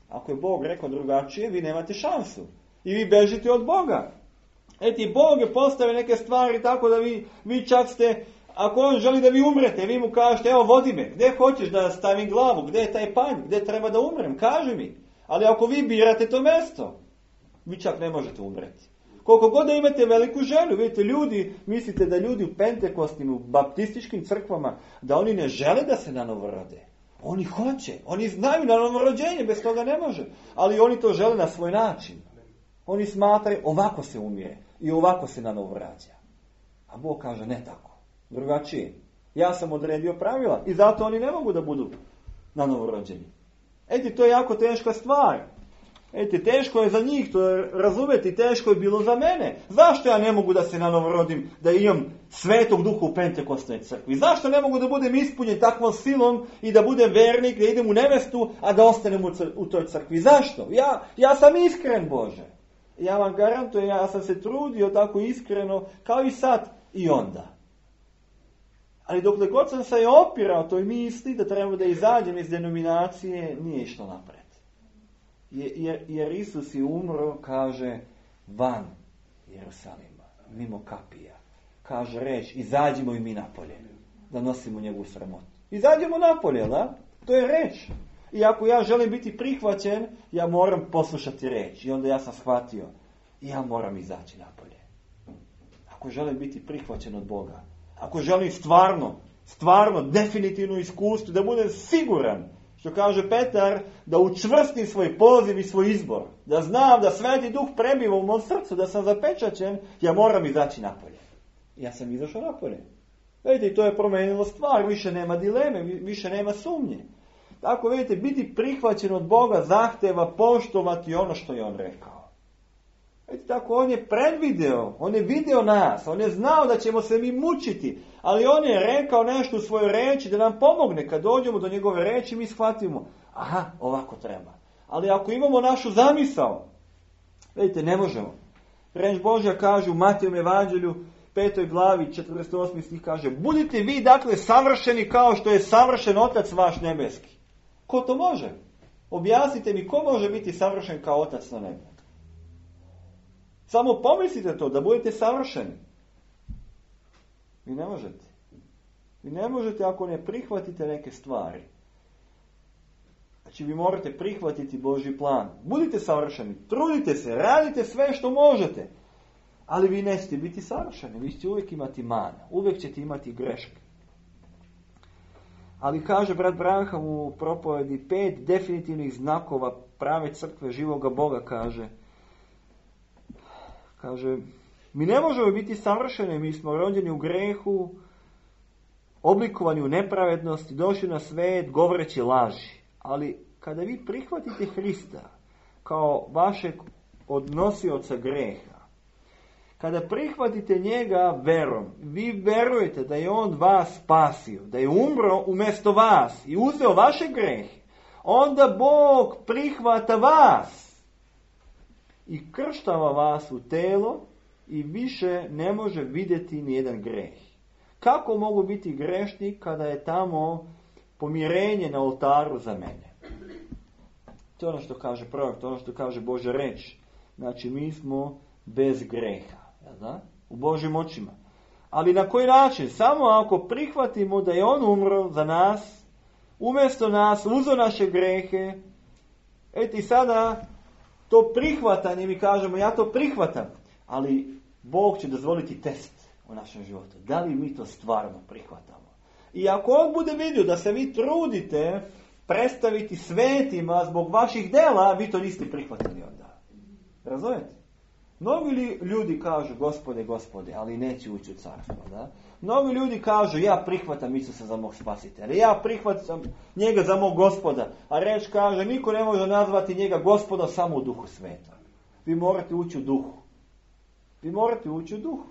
Ako je Bog rekao drugačije, vi nemate šansu. I vi bežite od Boga. Bog je postavio neke stvari tako da vi čak ste, Ako on želi da vi umrete, vi mu kažete, evo vodi me, gdje hoćeš da stavim glavu, gdje je taj panj, gdje treba da umrem, kaži mi. Ali ako vi birate to mjesto, vi čak ne možete umreti. Koliko god da imate veliku želju, vidite, ljudi, mislite da ljudi u pentekostnim, u baptističkim crkvama, da oni ne žele da se nanovorode. Oni hoće, oni znaju na novorođenje, bez toga ne može. Ali oni to žele na svoj način. Oni smatraju, ovako se umire i ovako se nanovorađa. A Bog kaže, ne tako, drugačije. Ja sam odredio pravila i zato oni ne mogu da budu nanovorođeni. To je jako teška stvar. Teško je za njih to razumjeti, teško je bilo za mene. Zašto ja ne mogu da se nanovorodim, da imam Svetog Duha u Pentekostnoj crkvi? Zašto ne mogu da budem ispunjen takvom silom i da budem vernik, da idem u nevestu, a da ostanem u toj crkvi? Zašto? Ja sam iskren, Bože. Ja vam garantujem, ja sam se trudio tako iskreno, kao i sad i onda. Ali dokle god sam se opirao toj misli da treba da izađem iz denominacije, nije išlo napred. Jer Isus je umro, kaže, van Jerusalima, mimo kapija. Kaže reč, izađimo i mi napolje, da nosimo njegovu sramotu. Izađemo napolje, da? To je reč. I ako ja želim biti prihvaćen, ja moram poslušati reč. I onda ja sam shvatio, ja moram izaći napolje. Ako želim biti prihvaćen od Boga, ako želim stvarno, definitivno iskustvo, da budem siguran, što kaže Petar, da učvrstim svoj poziv i svoj izbor, da znam da Sveti Duh prebiva u mom srcu, da sam zapečaćen, ja moram izaći napolje. Ja sam izašao napolje. Vidite, to je promenilo stvar, više nema dileme, više nema sumnje. Tako, vidite, biti prihvaćen od Boga zahteva poštovati ono što je On rekao. Vidite, tako, On je predvideo, On je video nas, On je znao da ćemo se mi mučiti, ali On je rekao nešto u svojoj reči da nam pomogne. Kad dođemo do njegove reči, mi shvatimo, aha, ovako treba. Ali ako imamo našu zamisao, vidite, ne možemo. Reč Božja kaže u Matejovom evanđelju, 5. glavi, 48. stih kaže, budite vi, dakle, savršeni kao što je savršen Otac vaš nebeski. Ko to može? Objasnite mi, ko može biti savršen kao Otac na nebu? Samo pomislite to, da budete savršeni. Vi ne možete. Vi ne možete ako ne prihvatite neke stvari. Znači, vi morate prihvatiti Božji plan. Budite savršeni, trudite se, radite sve što možete. Ali vi nećete biti savršeni. Vi ćete uvijek imati mana. Uvijek ćete imati greške. Ali kaže brat Branham u propovedi 5 definitivnih znakova prave crkve živoga Boga, kaže, mi ne možemo biti savršeni, mi smo rođeni u grehu, oblikovani u nepravednosti, došli na svijet govoreći laži. Ali kada vi prihvatite Hrista kao vašeg odnosioca greha, kada prihvatite njega verom, vi verujete da je on vas spasio, da je umro umjesto vas i uzeo vaše grehe, onda Bog prihvata vas i krštava vas u telo i više ne može vidjeti nijedan greh. Kako mogu biti grešni kada je tamo pomirenje na oltaru za mene? To je ono što kaže prorok, to je ono što kaže Božja reč. Znači, mi smo bez greha, da? U Božjim očima. Ali na koji način? Samo ako prihvatimo da je on umro za nas, umjesto nas, uzeo naše grehe, i sada to prihvatanje, mi kažemo, ja to prihvatam, ali Bog će dozvoliti test u našem životu. Da li mi to stvarno prihvatamo? I ako on bude vidio da se vi trudite predstaviti svetima zbog vaših dela, vi to niste prihvatili onda. Razumijete? Mnogi ljudi kažu, Gospode, Gospode, ali neće ući u carstvo. Da? Mnogi ljudi kažu, ja prihvatam Isusa za mog spasitelja, ja prihvatam njega za mog Gospoda. A reč kaže, niko ne može nazvati njega Gospoda samo u Duhu Svetom. Vi morate ući u Duhu. Vi morate ući u Duhu.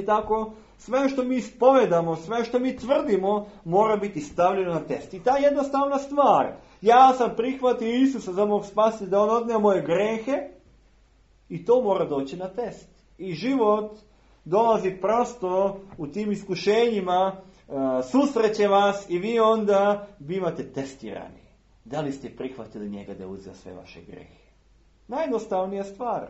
Tako, sve što mi ispovedamo, sve što mi tvrdimo, mora biti stavljeno na test. I ta jednostavna stvar, ja sam prihvatio Isusa za mog spasitelja da on odneo moje grehe, i to mora doći na test. I život dolazi prosto u tim iskušenjima, susreće vas i vi onda bivate testirani. Da li ste prihvatili njega da uzeo sve vaše grehe? Najjednostavnija stvar.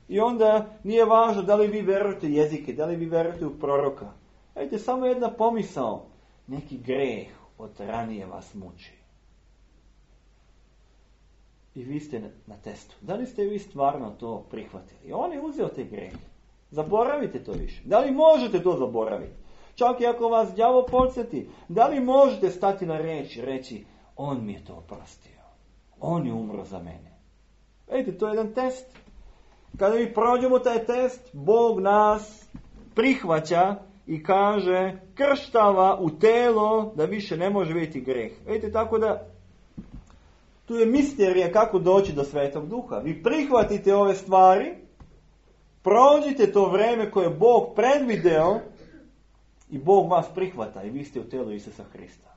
I onda nije važno da li vi verujete u jezike, da li vi verujete u proroka. Vidite, samo jedna pomisao. Neki greh od ranije vas muči. I vi ste na testu. Da li ste vi stvarno to prihvatili? On je uzeo te grehe. Zaboravite to više. Da li možete to zaboraviti? Čak i ako vas đavo podsjeti, da li možete stati na reč i reći, on mi je to oprostio. On je umro za mene. Vidite, to je jedan test. Kada mi prođemo taj test, Bog nas prihvaća i kaže, krštava u telo da više ne može vidjeti greh. Vidite, tako da tu je misterija kako doći do Svetog Duha. Vi prihvatite ove stvari, prođite to vreme koje je Bog predvideo i Bog vas prihvata i vi ste u telu Isusa Hrista.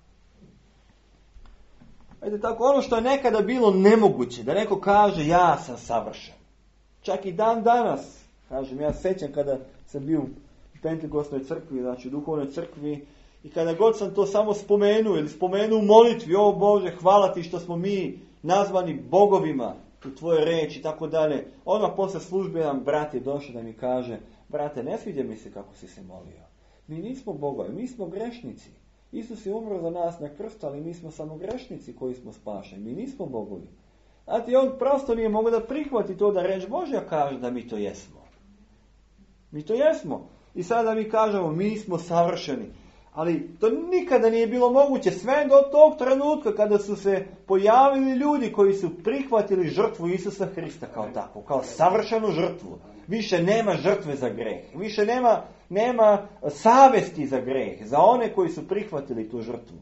Vidite, tako ono što je nekada bilo nemoguće, da neko kaže ja sam savršen. Čak i dan danas, kažem, ja sećam kada sam bio u Pentekostnoj crkvi, znači u duhovnoj crkvi, i kada god sam to samo spomenuo ili spomenuo u molitvi, o Bože, hvala ti što smo mi nazvani bogovima u tvojoj reči i tako dalje. Odmah posle službe jedan brat je došao da mi kaže, brate, ne sviđa mi se kako si se molio. Mi nismo bogovi, mi smo grešnici. Isus je umro za nas na krstu, ali mi smo samo grešnici koji smo spašeni. Mi nismo bogovi. Znate, on prosto nije mogao da prihvati to da reč Božja kaže da mi to jesmo. Mi to jesmo. I sada mi kažemo, mi smo savršeni. Ali to nikada nije bilo moguće, sve do tog trenutka kada su se pojavili ljudi koji su prihvatili žrtvu Isusa Hrista kao takvu, kao savršenu žrtvu. Više nema žrtve za greh, više nema savesti za greh, za one koji su prihvatili tu žrtvu.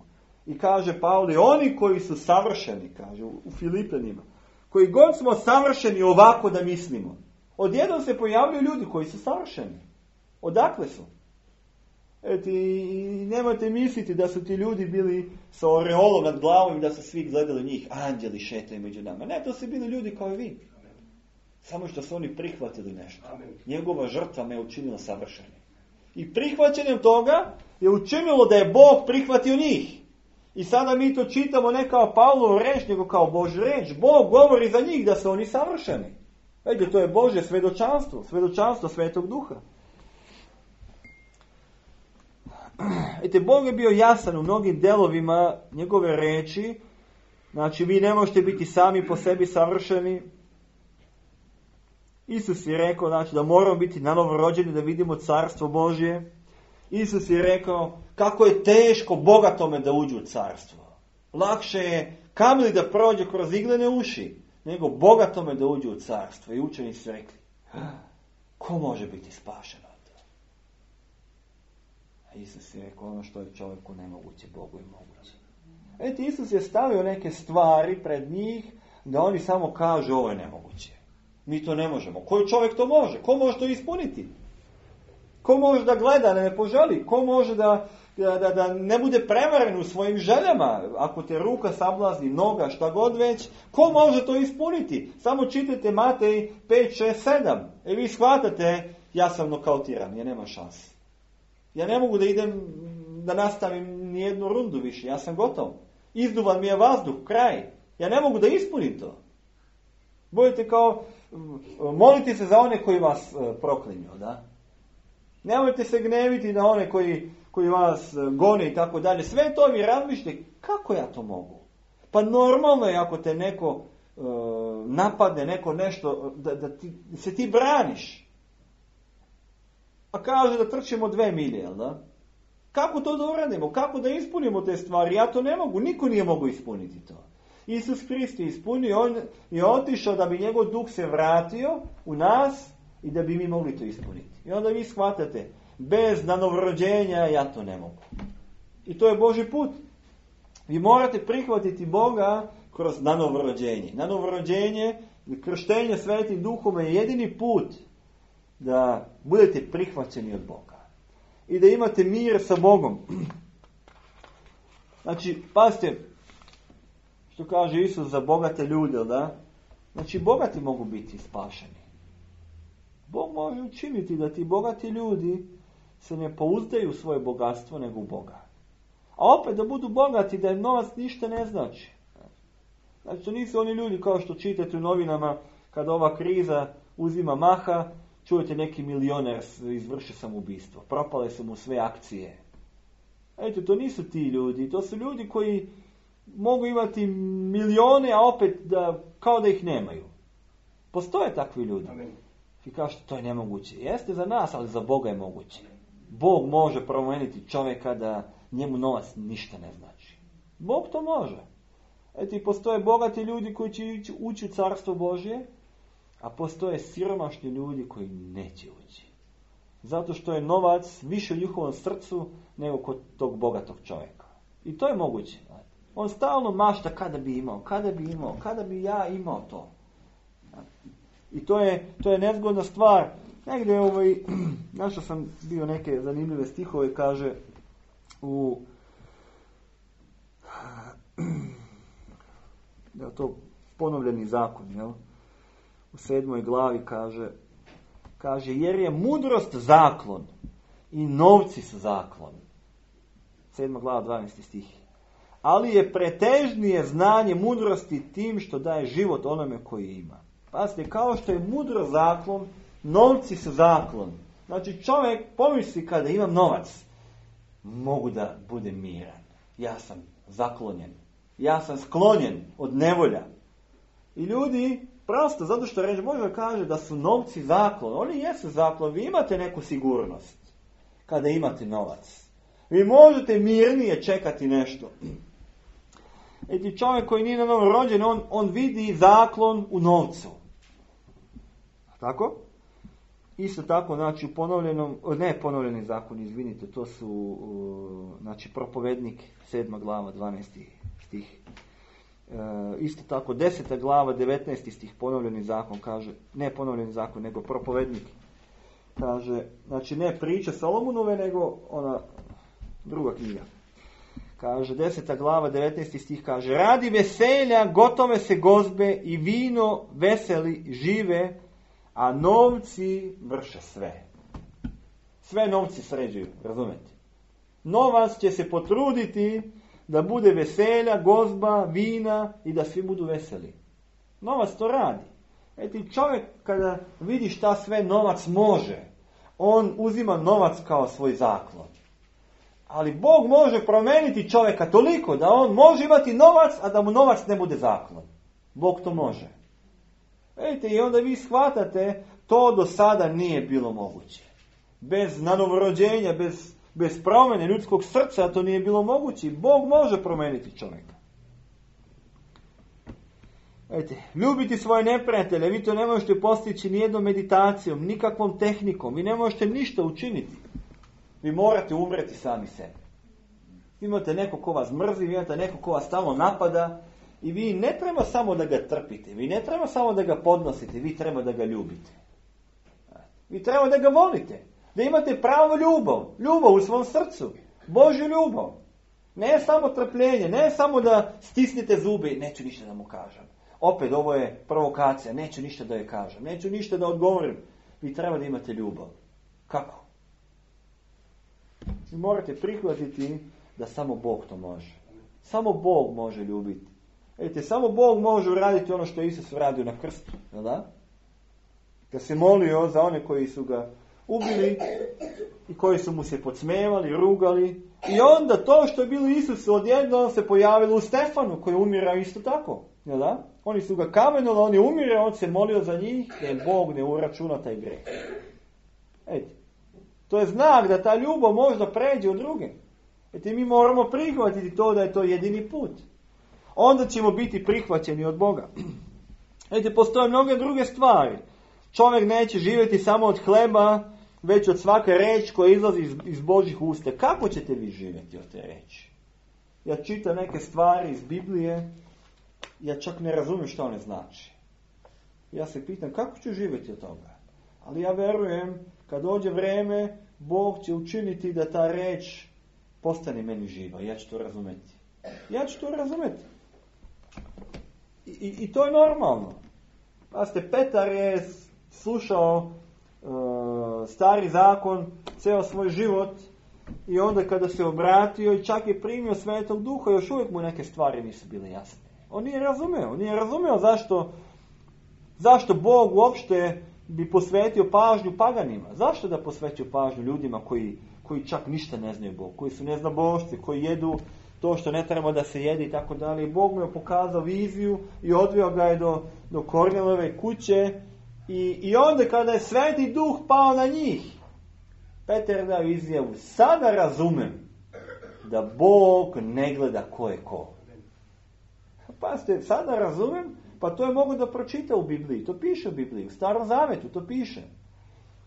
I kaže Pavle, oni koji su savršeni, kaže u Filipenima, koji god smo savršeni ovako da mislimo, odjednom se pojavljaju ljudi koji su savršeni. Odakle su? I nemojte misliti da su ti ljudi bili sa oreolom nad glavom i da su svi gledali njih, anđeli šetaju među nama. Ne, to su bili ljudi kao i vi. Samo što su oni prihvatili nešto. Njegova žrtva me je učinila savršenim. I prihvaćanjem toga je učinilo da je Bog prihvatio njih. I sada mi to čitamo ne kao Pavlovu reč, nego kao Božju reč. Bog govori za njih da su oni savršeni. Vidite, to je Božje svedočanstvo, svedočanstvo Svetog Duha. Vidite, Bog je bio jasan u mnogim delovima njegove reči. Znači, vi ne možete biti sami po sebi savršeni. Isus je rekao, znači, da moramo biti nanovo rođeni da vidimo carstvo Božje. Isus je rekao kako je teško bogatome da uđe u carstvo. Lakše je kamili da prođe kroz iglene uši, nego bogatome da uđe u carstvo. I učenici su rekli, ko može biti spašen od toga? A Isus je rekao, ono što je čovjeku nemoguće, Bogu je moguće. Vidite, Isus je stavio neke stvari pred njih da oni samo kažu ovo je nemoguće. Mi to ne možemo. Koji čovjek to može? Ko može to ispuniti? Ko može da gleda, da ne poželi? Ko može da ne bude prevaren u svojim željama? Ako te ruka sablazni, noga, šta god već, ko može to ispuniti? Samo čitajte Matej 5, 6, 7. I vi shvatate, ja sam nokautiran, ja nema šanse. Ja ne mogu da idem, da nastavim nijednu rundu više, ja sam gotov. Izduvan mi je vazduh, kraj. Ja ne mogu da ispunim to. Budete kao, molite se za one koji vas proklinju, da? Nemojte se gneviti na one koji vas gone i tako dalje. Sve to vi razmišljate, kako ja to mogu? Pa normalno je ako te neko napadne, neko nešto, da se ti braniš. A kaže da trčimo 2 milje, jel da? Kako to da uradimo? Kako da ispunimo te stvari? Ja to ne mogu, niko nije mogu ispuniti to. Isus Hrist je ispunio, on je otišao da bi njegov duh se vratio u nas i da bi mi mogli to ispuniti. I onda vi shvatate, bez nanovrođenja ja to ne mogu. I to je Božji put. Vi morate prihvatiti Boga kroz nanovrođenje. Nanovrođenje, krštenje Svetim Duhom je jedini put da budete prihvaćeni od Boga. I da imate mir sa Bogom. Znači, pazite, što kaže Isus za bogate ljude, da? Znači, bogati mogu biti spašeni. Bog može učiniti da ti bogati ljudi se ne pouzdaju u svoje bogatstvo, nego u Boga. A opet da budu bogati, da im novac ništa ne znači. Znači, to nisu oni ljudi kao što čitate u novinama, kada ova kriza uzima maha, čujete neki milioner izvrši samoubistvo. Propale su mu sve akcije. Eto, to nisu ti ljudi. To su ljudi koji mogu imati milijone, a opet kao da ih nemaju. Postoje takvi ljudi. Amen. I kažete, to je nemoguće. Jeste za nas, ali za Boga je moguće. Bog može promijeniti čovjeka da njemu novac ništa ne znači. Bog to može. Eto, i postoje bogati ljudi koji će ući u carstvo Božje, a postoje siromašni ljudi koji neće ući. Zato što je novac više u njihovom srcu nego kod tog bogatog čovjeka. I to je moguće. On stalno mašta kada bi ja imao to. I to je nezgodna stvar. Negdje našao sam bio neke zanimljive stihove, kaže da je to ponovljeni zakon, jel? U 7. glavi kaže jer je mudrost zaklon i novci su zaklon. 7. glava 12. stih. Ali je pretežnije znanje mudrosti tim što daje život onome koji ima. Pazite, kao što je mudro zaklon, novci su zaklon. Znači čovjek pomisli kada imam novac, mogu da budem miran. Ja sam zaklonjen. Ja sam sklonjen od nevolja. I ljudi, prosto, zato što reći Bože kaže da su novci zaklon. Oni jesu zaklon. Vi imate neku sigurnost kada imate novac. Vi možete mirnije čekati nešto. Eti čovjek koji nije na novo rođen, on vidi zaklon u novcu. Tako? Isto tako, znači u ponovljeni zakon, izvinite, to su, znači propovednik, 7. glava, 12. stih. Isto tako, 10. glava, 19. stih, ponovljeni zakon kaže, ne ponovljeni zakon, nego propovednik. Kaže, znači ne priče Solomonove, nego ona druga knjiga. Kaže, 10. glava, 19. stih kaže, radi veselja, gotove se gozbe i vino veseli žive, a novci vrše sve. Sve novci sređuju, razumete? Novac će se potruditi da bude veselja, gozba, vina i da svi budu veseli. Novac to radi. Eti čovjek kada vidi šta sve novac može, on uzima novac kao svoj zaklon. Ali Bog može promijeniti čovjeka toliko da on može imati novac, a da mu novac ne bude zaklon. Bog to može. Vidite, i onda vi shvatate, to do sada nije bilo moguće. Bez nanovorođenja, bez promjene ljudskog srca to nije bilo moguće. Bog može promijeniti čovjeka. Vidite, ljubiti svoje neprijatelje, vi to ne možete postići nijednom meditacijom, nikakvom tehnikom, vi ne možete ništa učiniti. Vi morate umreti sami sebi. Imate neko ko vas mrzi, imate neko ko vas stalno napada i vi ne treba samo da ga trpite, vi ne treba samo da ga podnosite, vi treba da ga ljubite. Vi treba da ga volite, da imate pravu ljubav u svom srcu, Božju ljubav. Ne samo trpljenje, ne samo da stisnete zube i neću ništa da mu kažem. Opet, ovo je provokacija, neću ništa da je kažem, neću ništa da odgovorim. Vi treba da imate ljubav. Kako? Vi morate prihvatiti da samo Bog to može. Samo Bog može ljubiti. Vidite, samo Bog može uraditi ono što je Isus uradio na krstu. Da? Kad se molio za one koji su ga ubili i koji su mu se podsmevali, rugali. I onda to što je bilo Isusu odjednom se pojavilo u Stefanu koji umira isto tako. Da? Oni su ga kamenuli, on je umire, on se molio za njih jer Bog ne uračuna taj greh. Vidite. To je znak da ta ljubav možda pređe u druge. Eti mi moramo prihvatiti to da je to jedini put. Onda ćemo biti prihvaćeni od Boga. Eti postoje mnoge druge stvari. Čovjek neće živjeti samo od hleba, već od svake reči koja izlazi iz Božjih usta. Kako ćete vi živjeti od te reči? Ja čitam neke stvari iz Biblije, ja čak ne razumijem što one znači. Ja se pitam kako ću živjeti od toga. Ali ja verujem, kad dođe vrijeme, Bog će učiniti da ta reč postane meni živa. Ja ću to razumjeti. I to je normalno. Pazite, Petar je slušao stari zakon ceo svoj život i onda kada se obratio i čak je primio Svetog Duha, još uvijek mu neke stvari nisu bile jasne. On nije razumeo zašto Bog uopšte bi posvetio pažnju paganima. Zašto da posveću pažnju ljudima koji čak ništa ne znaju Bog, koji su neznabošci, koji jedu to što ne treba da se jede i tako dalje. Bog mu je pokazao viziju i odveo ga je do Kornelijeve kuće i onda kada je Sveti Duh pao na njih, Petar dao izjavu: sada razumem da Bog ne gleda ko je ko. Pazite, sada razumem, pa to je mogu da pročita u Bibliji, to piše u Bibliji, u Starom Zavetu to piše.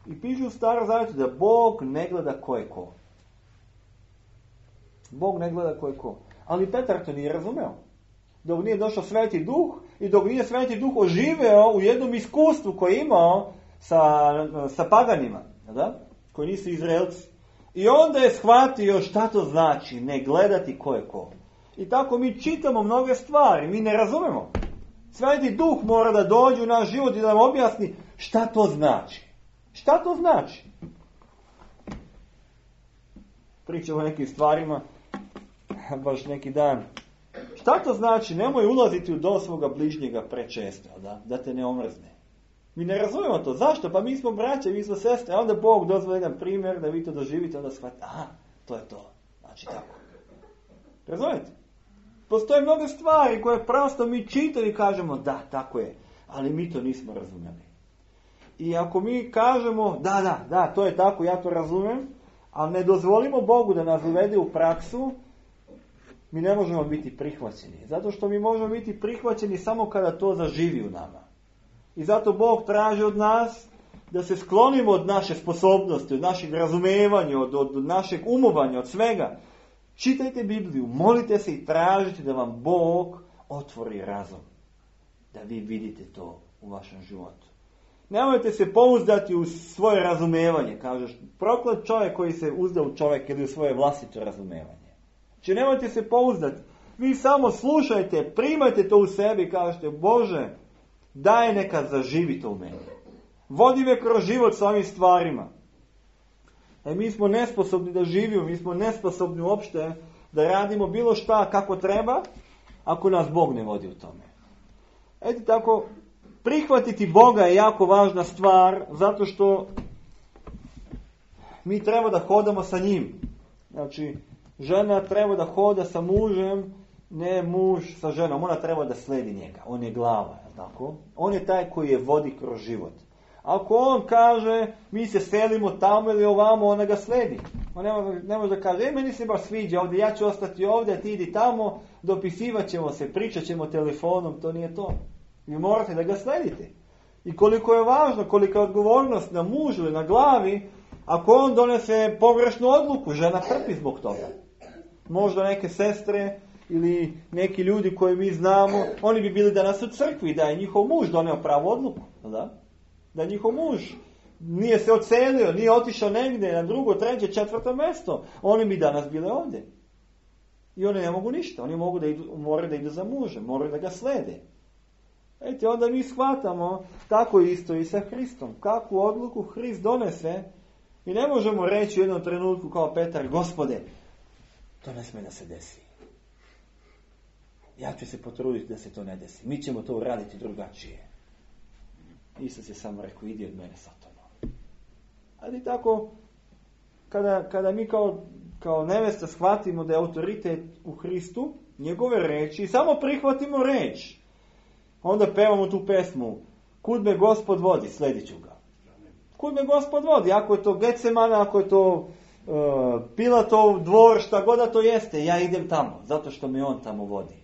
I piše u Starom Zavetu da Bog ne gleda ko je ko. Bog ne gleda ko je ko. Ali Petar to nije razumeo. Dok nije došao Sveti Duh i dok nije Sveti Duh oživeo u jednom iskustvu koje je imao sa paganima, da? Koji nisu Izraelci. I onda je shvatio šta to znači ne gledati ko je ko. I tako mi čitamo mnoge stvari, mi ne razumemo. Sveti Duh mora da dođe u naš život i da nam objasni šta to znači. Šta to znači? Pričamo o nekim stvarima, baš neki dan. Šta to znači? Nemoj ulaziti u dom svoga bližnjega prečesto, da te ne omrzne. Mi ne razumemo to. Zašto? Pa mi smo braće, mi smo sestre. A onda Bog dozvoli jedan primjer da vi to doživite, onda shvatite, aha, to je to. Znači tako. Razumijete? Postoje mnogo stvari koje prosto mi čitamo i kažemo, da, tako je. Ali mi to nismo razumjeli. I ako mi kažemo, da, to je tako, ja to razumijem, ali ne dozvolimo Bogu da nas uvede u praksu, mi ne možemo biti prihvaćeni. Zato što mi možemo biti prihvaćeni samo kada to zaživi u nama. I zato Bog traži od nas da se sklonimo od naše sposobnosti, od našeg razumevanja, od našeg umovanja, od svega. Čitajte Bibliju, molite se i tražite da vam Bog otvori razum. Da vi vidite to u vašem životu. Nemojte se pouzdati u svoje razumevanje. Kažeš, proklet čovjek koji se uzda u čovjek ili u svoje vlastito razumevanje. Znači nemojte se pouzdati. Vi samo slušajte, primajte to u sebi i kažete, Bože, daj neka zaživi to u meni. Vodi me kroz život s ovim stvarima. Mi smo nesposobni da živimo, mi smo nesposobni uopšte da radimo bilo šta kako treba, ako nas Bog ne vodi u tome. Eto tako, prihvatiti Boga je jako važna stvar, zato što mi treba da hodamo sa njim. Znači, žena treba da hoda sa mužem, ne muž sa ženom. Ona treba da sledi njega. On je glava, tako? On je taj koji je vodi kroz život. Ako on kaže, mi se selimo tamo ili ovamo, ona ga sledi. On ne može da kaže, meni se baš sviđa ovdje, ja ću ostati ovdje, ti idi tamo, dopisivat ćemo se, pričat ćemo telefonom, to nije to. Vi morate da ga sledite. I koliko je važno, kolika je odgovornost na mužu ili na glavi, ako on donese pogrešnu odluku, žena trpi zbog toga. Možda neke sestre ili neki ljudi koje mi znamo, oni bi bili danas u crkvi, da je njihov muž doneo pravu odluku, da njihov muž nije se odselio, nije otišao negdje na drugo, treće, četvrto mjesto, oni bi danas bili ovdje. I oni ne mogu ništa, oni moraju da idu za mužem, moraju da ga slede. Ejte, onda mi shvatamo tako isto i sa Hristom. Kakvu odluku Hrist donese, i ne možemo reći u jednom trenutku kao Petar, Gospode, to ne smije da se desi. Ja ću se potruditi da se to ne desi. Mi ćemo to uraditi drugačije. Isus je samo rekao, idi od mene, Satano. Ali tako, kada mi kao nevesta shvatimo da je autoritet u Hristu, njegove reči, samo prihvatimo reč, onda pevamo tu pesmu, kud me Gospod vodi, sledit ću ga. Kud me Gospod vodi, ako je to Getsemana, ako je to Pilatov dvor, šta god da to jeste, ja idem tamo, zato što me on tamo vodi.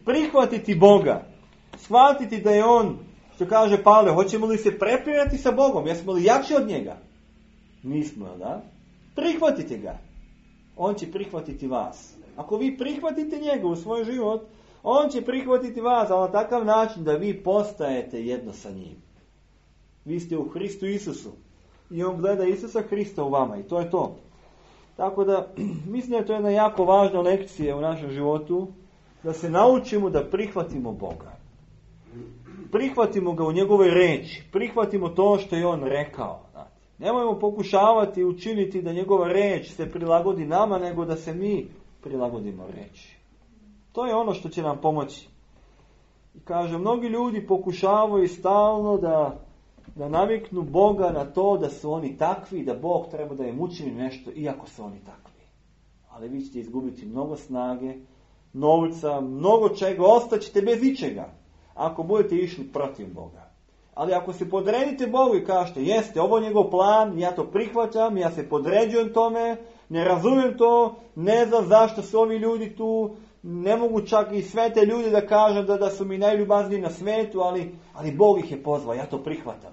Prihvatiti Boga, shvatiti da je on, što kaže Pavle, hoćemo li se prepirati sa Bogom, jesmo li jači od njega? Nismo, da? Prihvatite ga. On će prihvatiti vas. Ako vi prihvatite njega u svoj život, on će prihvatiti vas, ali na takav način da vi postajete jedno sa njim. Vi ste u Hristu Isusu. I on gleda Isusa Hrista u vama. I to je to. Tako da, mislim da je to jedna jako važna lekcija u našem životu, da se naučimo da prihvatimo Boga. Prihvatimo ga u njegovoj reči. Prihvatimo to što je on rekao. Nemojmo pokušavati učiniti da njegova reč se prilagodi nama, nego da se mi prilagodimo reči. To je ono što će nam pomoći. I kaže, mnogi ljudi pokušavaju stalno da naviknu Boga na to da su oni takvi, da Bog treba da im učini nešto, iako su oni takvi. Ali vi ćete izgubiti mnogo snage, novca, mnogo čega, ostaćete bez ičega, ako budete išli protiv Boga. Ali ako se podredite Bogu i kažete, jeste, ovo je njegov plan, ja to prihvaćam, ja se podređujem tome, ne razumijem to, ne znam zašto su ovi ljudi tu, ne mogu čak i sve te ljudi da kažem da su mi najljubazniji na svetu, ali Bog ih je pozvao, ja to prihvatam.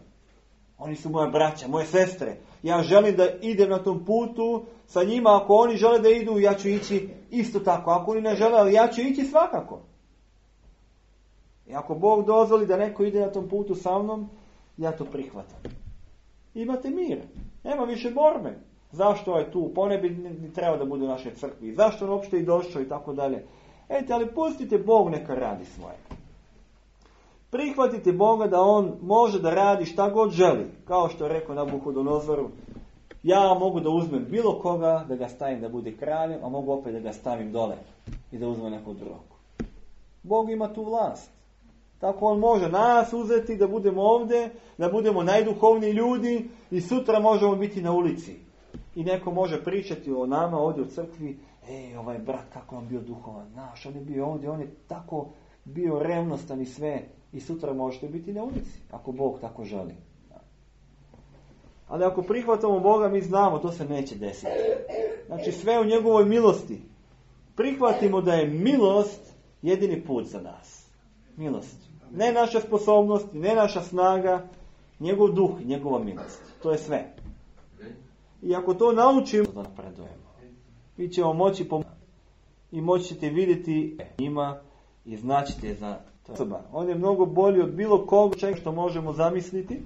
Oni su moja braća, moje sestre. Ja želim da idem na tom putu sa njima, ako oni žele da idu, ja ću ići isto tako. Ako oni ne žele, ali ja ću ići svakako. I ako Bog dozvoli da neko ide na tom putu sa mnom, ja to prihvatam. Imate mir. Nema više borbe. Zašto je tu? Pa ne bi trebao da bude u našoj crkvi. Zašto on uopšte i došao i tako dalje. Ali pustite Bog neka radi svoje. Prihvatite Boga da on može da radi šta god želi. Kao što je rekao Nabuhodonozoru, ja mogu da uzmem bilo koga, da ga stavim da bude kraljem, a mogu opet da ga stavim dole i da uzmem nekog drugog. Bog ima tu vlast. Tako on može nas uzeti da budemo ovdje, da budemo najduhovniji ljudi i sutra možemo biti na ulici. I neko može pričati o nama ovdje u crkvi, ovaj brat kako on bio duhovan, naš, on je bio ovdje, on je tako bio revnostan i sve. I sutra možete biti na ulici, ako Bog tako želi. Ali ako prihvatamo Boga, mi znamo, to se neće desiti. Znači sve u njegovoj milosti. Prihvatimo da je milost jedini put za nas. Milost. Ne naša sposobnost, ne naša snaga, njegov duh, njegova milost. To je sve. I ako to naučimo, da napredujemo. Mi ćemo moći i moći ćete vidjeti njima i značite za osoba. On je mnogo bolji od bilo koga što možemo zamisliti.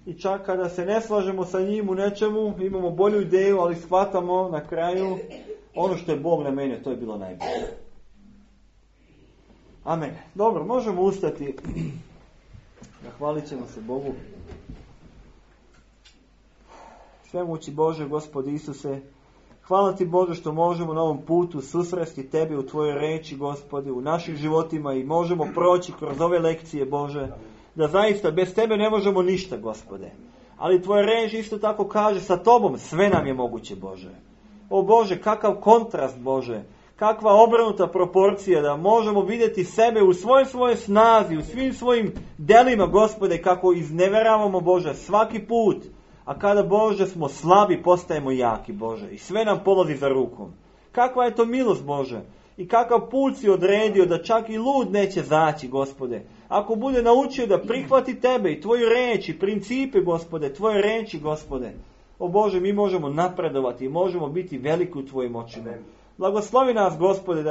I čak kada se ne slažemo sa njim u nečemu, imamo bolju ideju, ali shvatamo na kraju ono što je Bog namenio, to je bilo najbolje. Amen. Dobro, možemo ustati. Zahvalit ćemo se Bogu. Svemoći Bože, Gospod Isuse, hvala ti Bože što možemo na ovom putu susresti Tebe u Tvojoj reči, Gospode, u našim životima i možemo proći kroz ove lekcije, Bože, da zaista bez Tebe ne možemo ništa, Gospode. Ali Tvoja reč isto tako kaže, sa Tobom sve nam je moguće, Bože. O Bože, kakav kontrast, Bože, kakva obrnuta proporcija da možemo vidjeti sebe u svojoj snazi, u svim svojim delima, Gospode, kako izneveravamo, Bože, svaki put. A kada, Bože, smo slabi, postajemo jaki, Bože. I sve nam polazi za rukom. Kakva je to milost, Bože. I kakav put si odredio da čak i lud neće zaći, Gospode. Ako bude naučio da prihvati Tebe i Tvoju reč i principe, Gospode, Tvoje reči, Gospode. O Bože, mi možemo napredovati i možemo biti veliki u Tvojim očima. Blagoslovi nas, Gospode,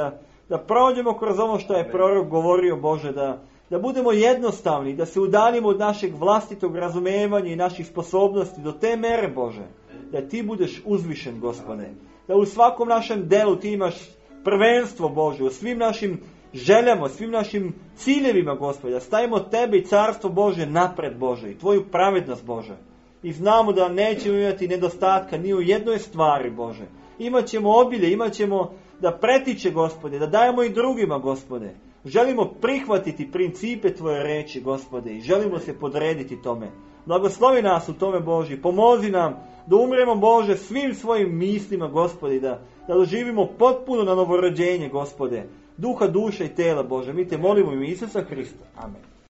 da prođemo kroz ono što je prorok govorio, Bože, da budemo jednostavni, da se udaljimo od našeg vlastitog razumevanja i naših sposobnosti do te mere, Bože, da Ti budeš uzvišen, Gospode. Da u svakom našem delu Ti imaš prvenstvo, Bože, u svim našim željama, svim našim ciljevima, Gospode, da stavimo Tebe i carstvo Bože napred, Bože, i Tvoju pravednost, Bože. I znamo da nećemo imati nedostatka ni u jednoj stvari, Bože. Imaćemo obilje, imaćemo da pretiče, Gospode, da dajemo i drugima, Gospode. Želimo prihvatiti principe Tvoje reči, Gospode, i želimo se podrediti tome. Blagoslovi nas u tome, Bože, pomozi nam da umremo, Bože, svim svojim mislima, Gospode, da doživimo potpuno na novorođenje, Gospode, duha, duše i tela, Bože. Mi Te molimo u ime Isusa Hrista. Amen.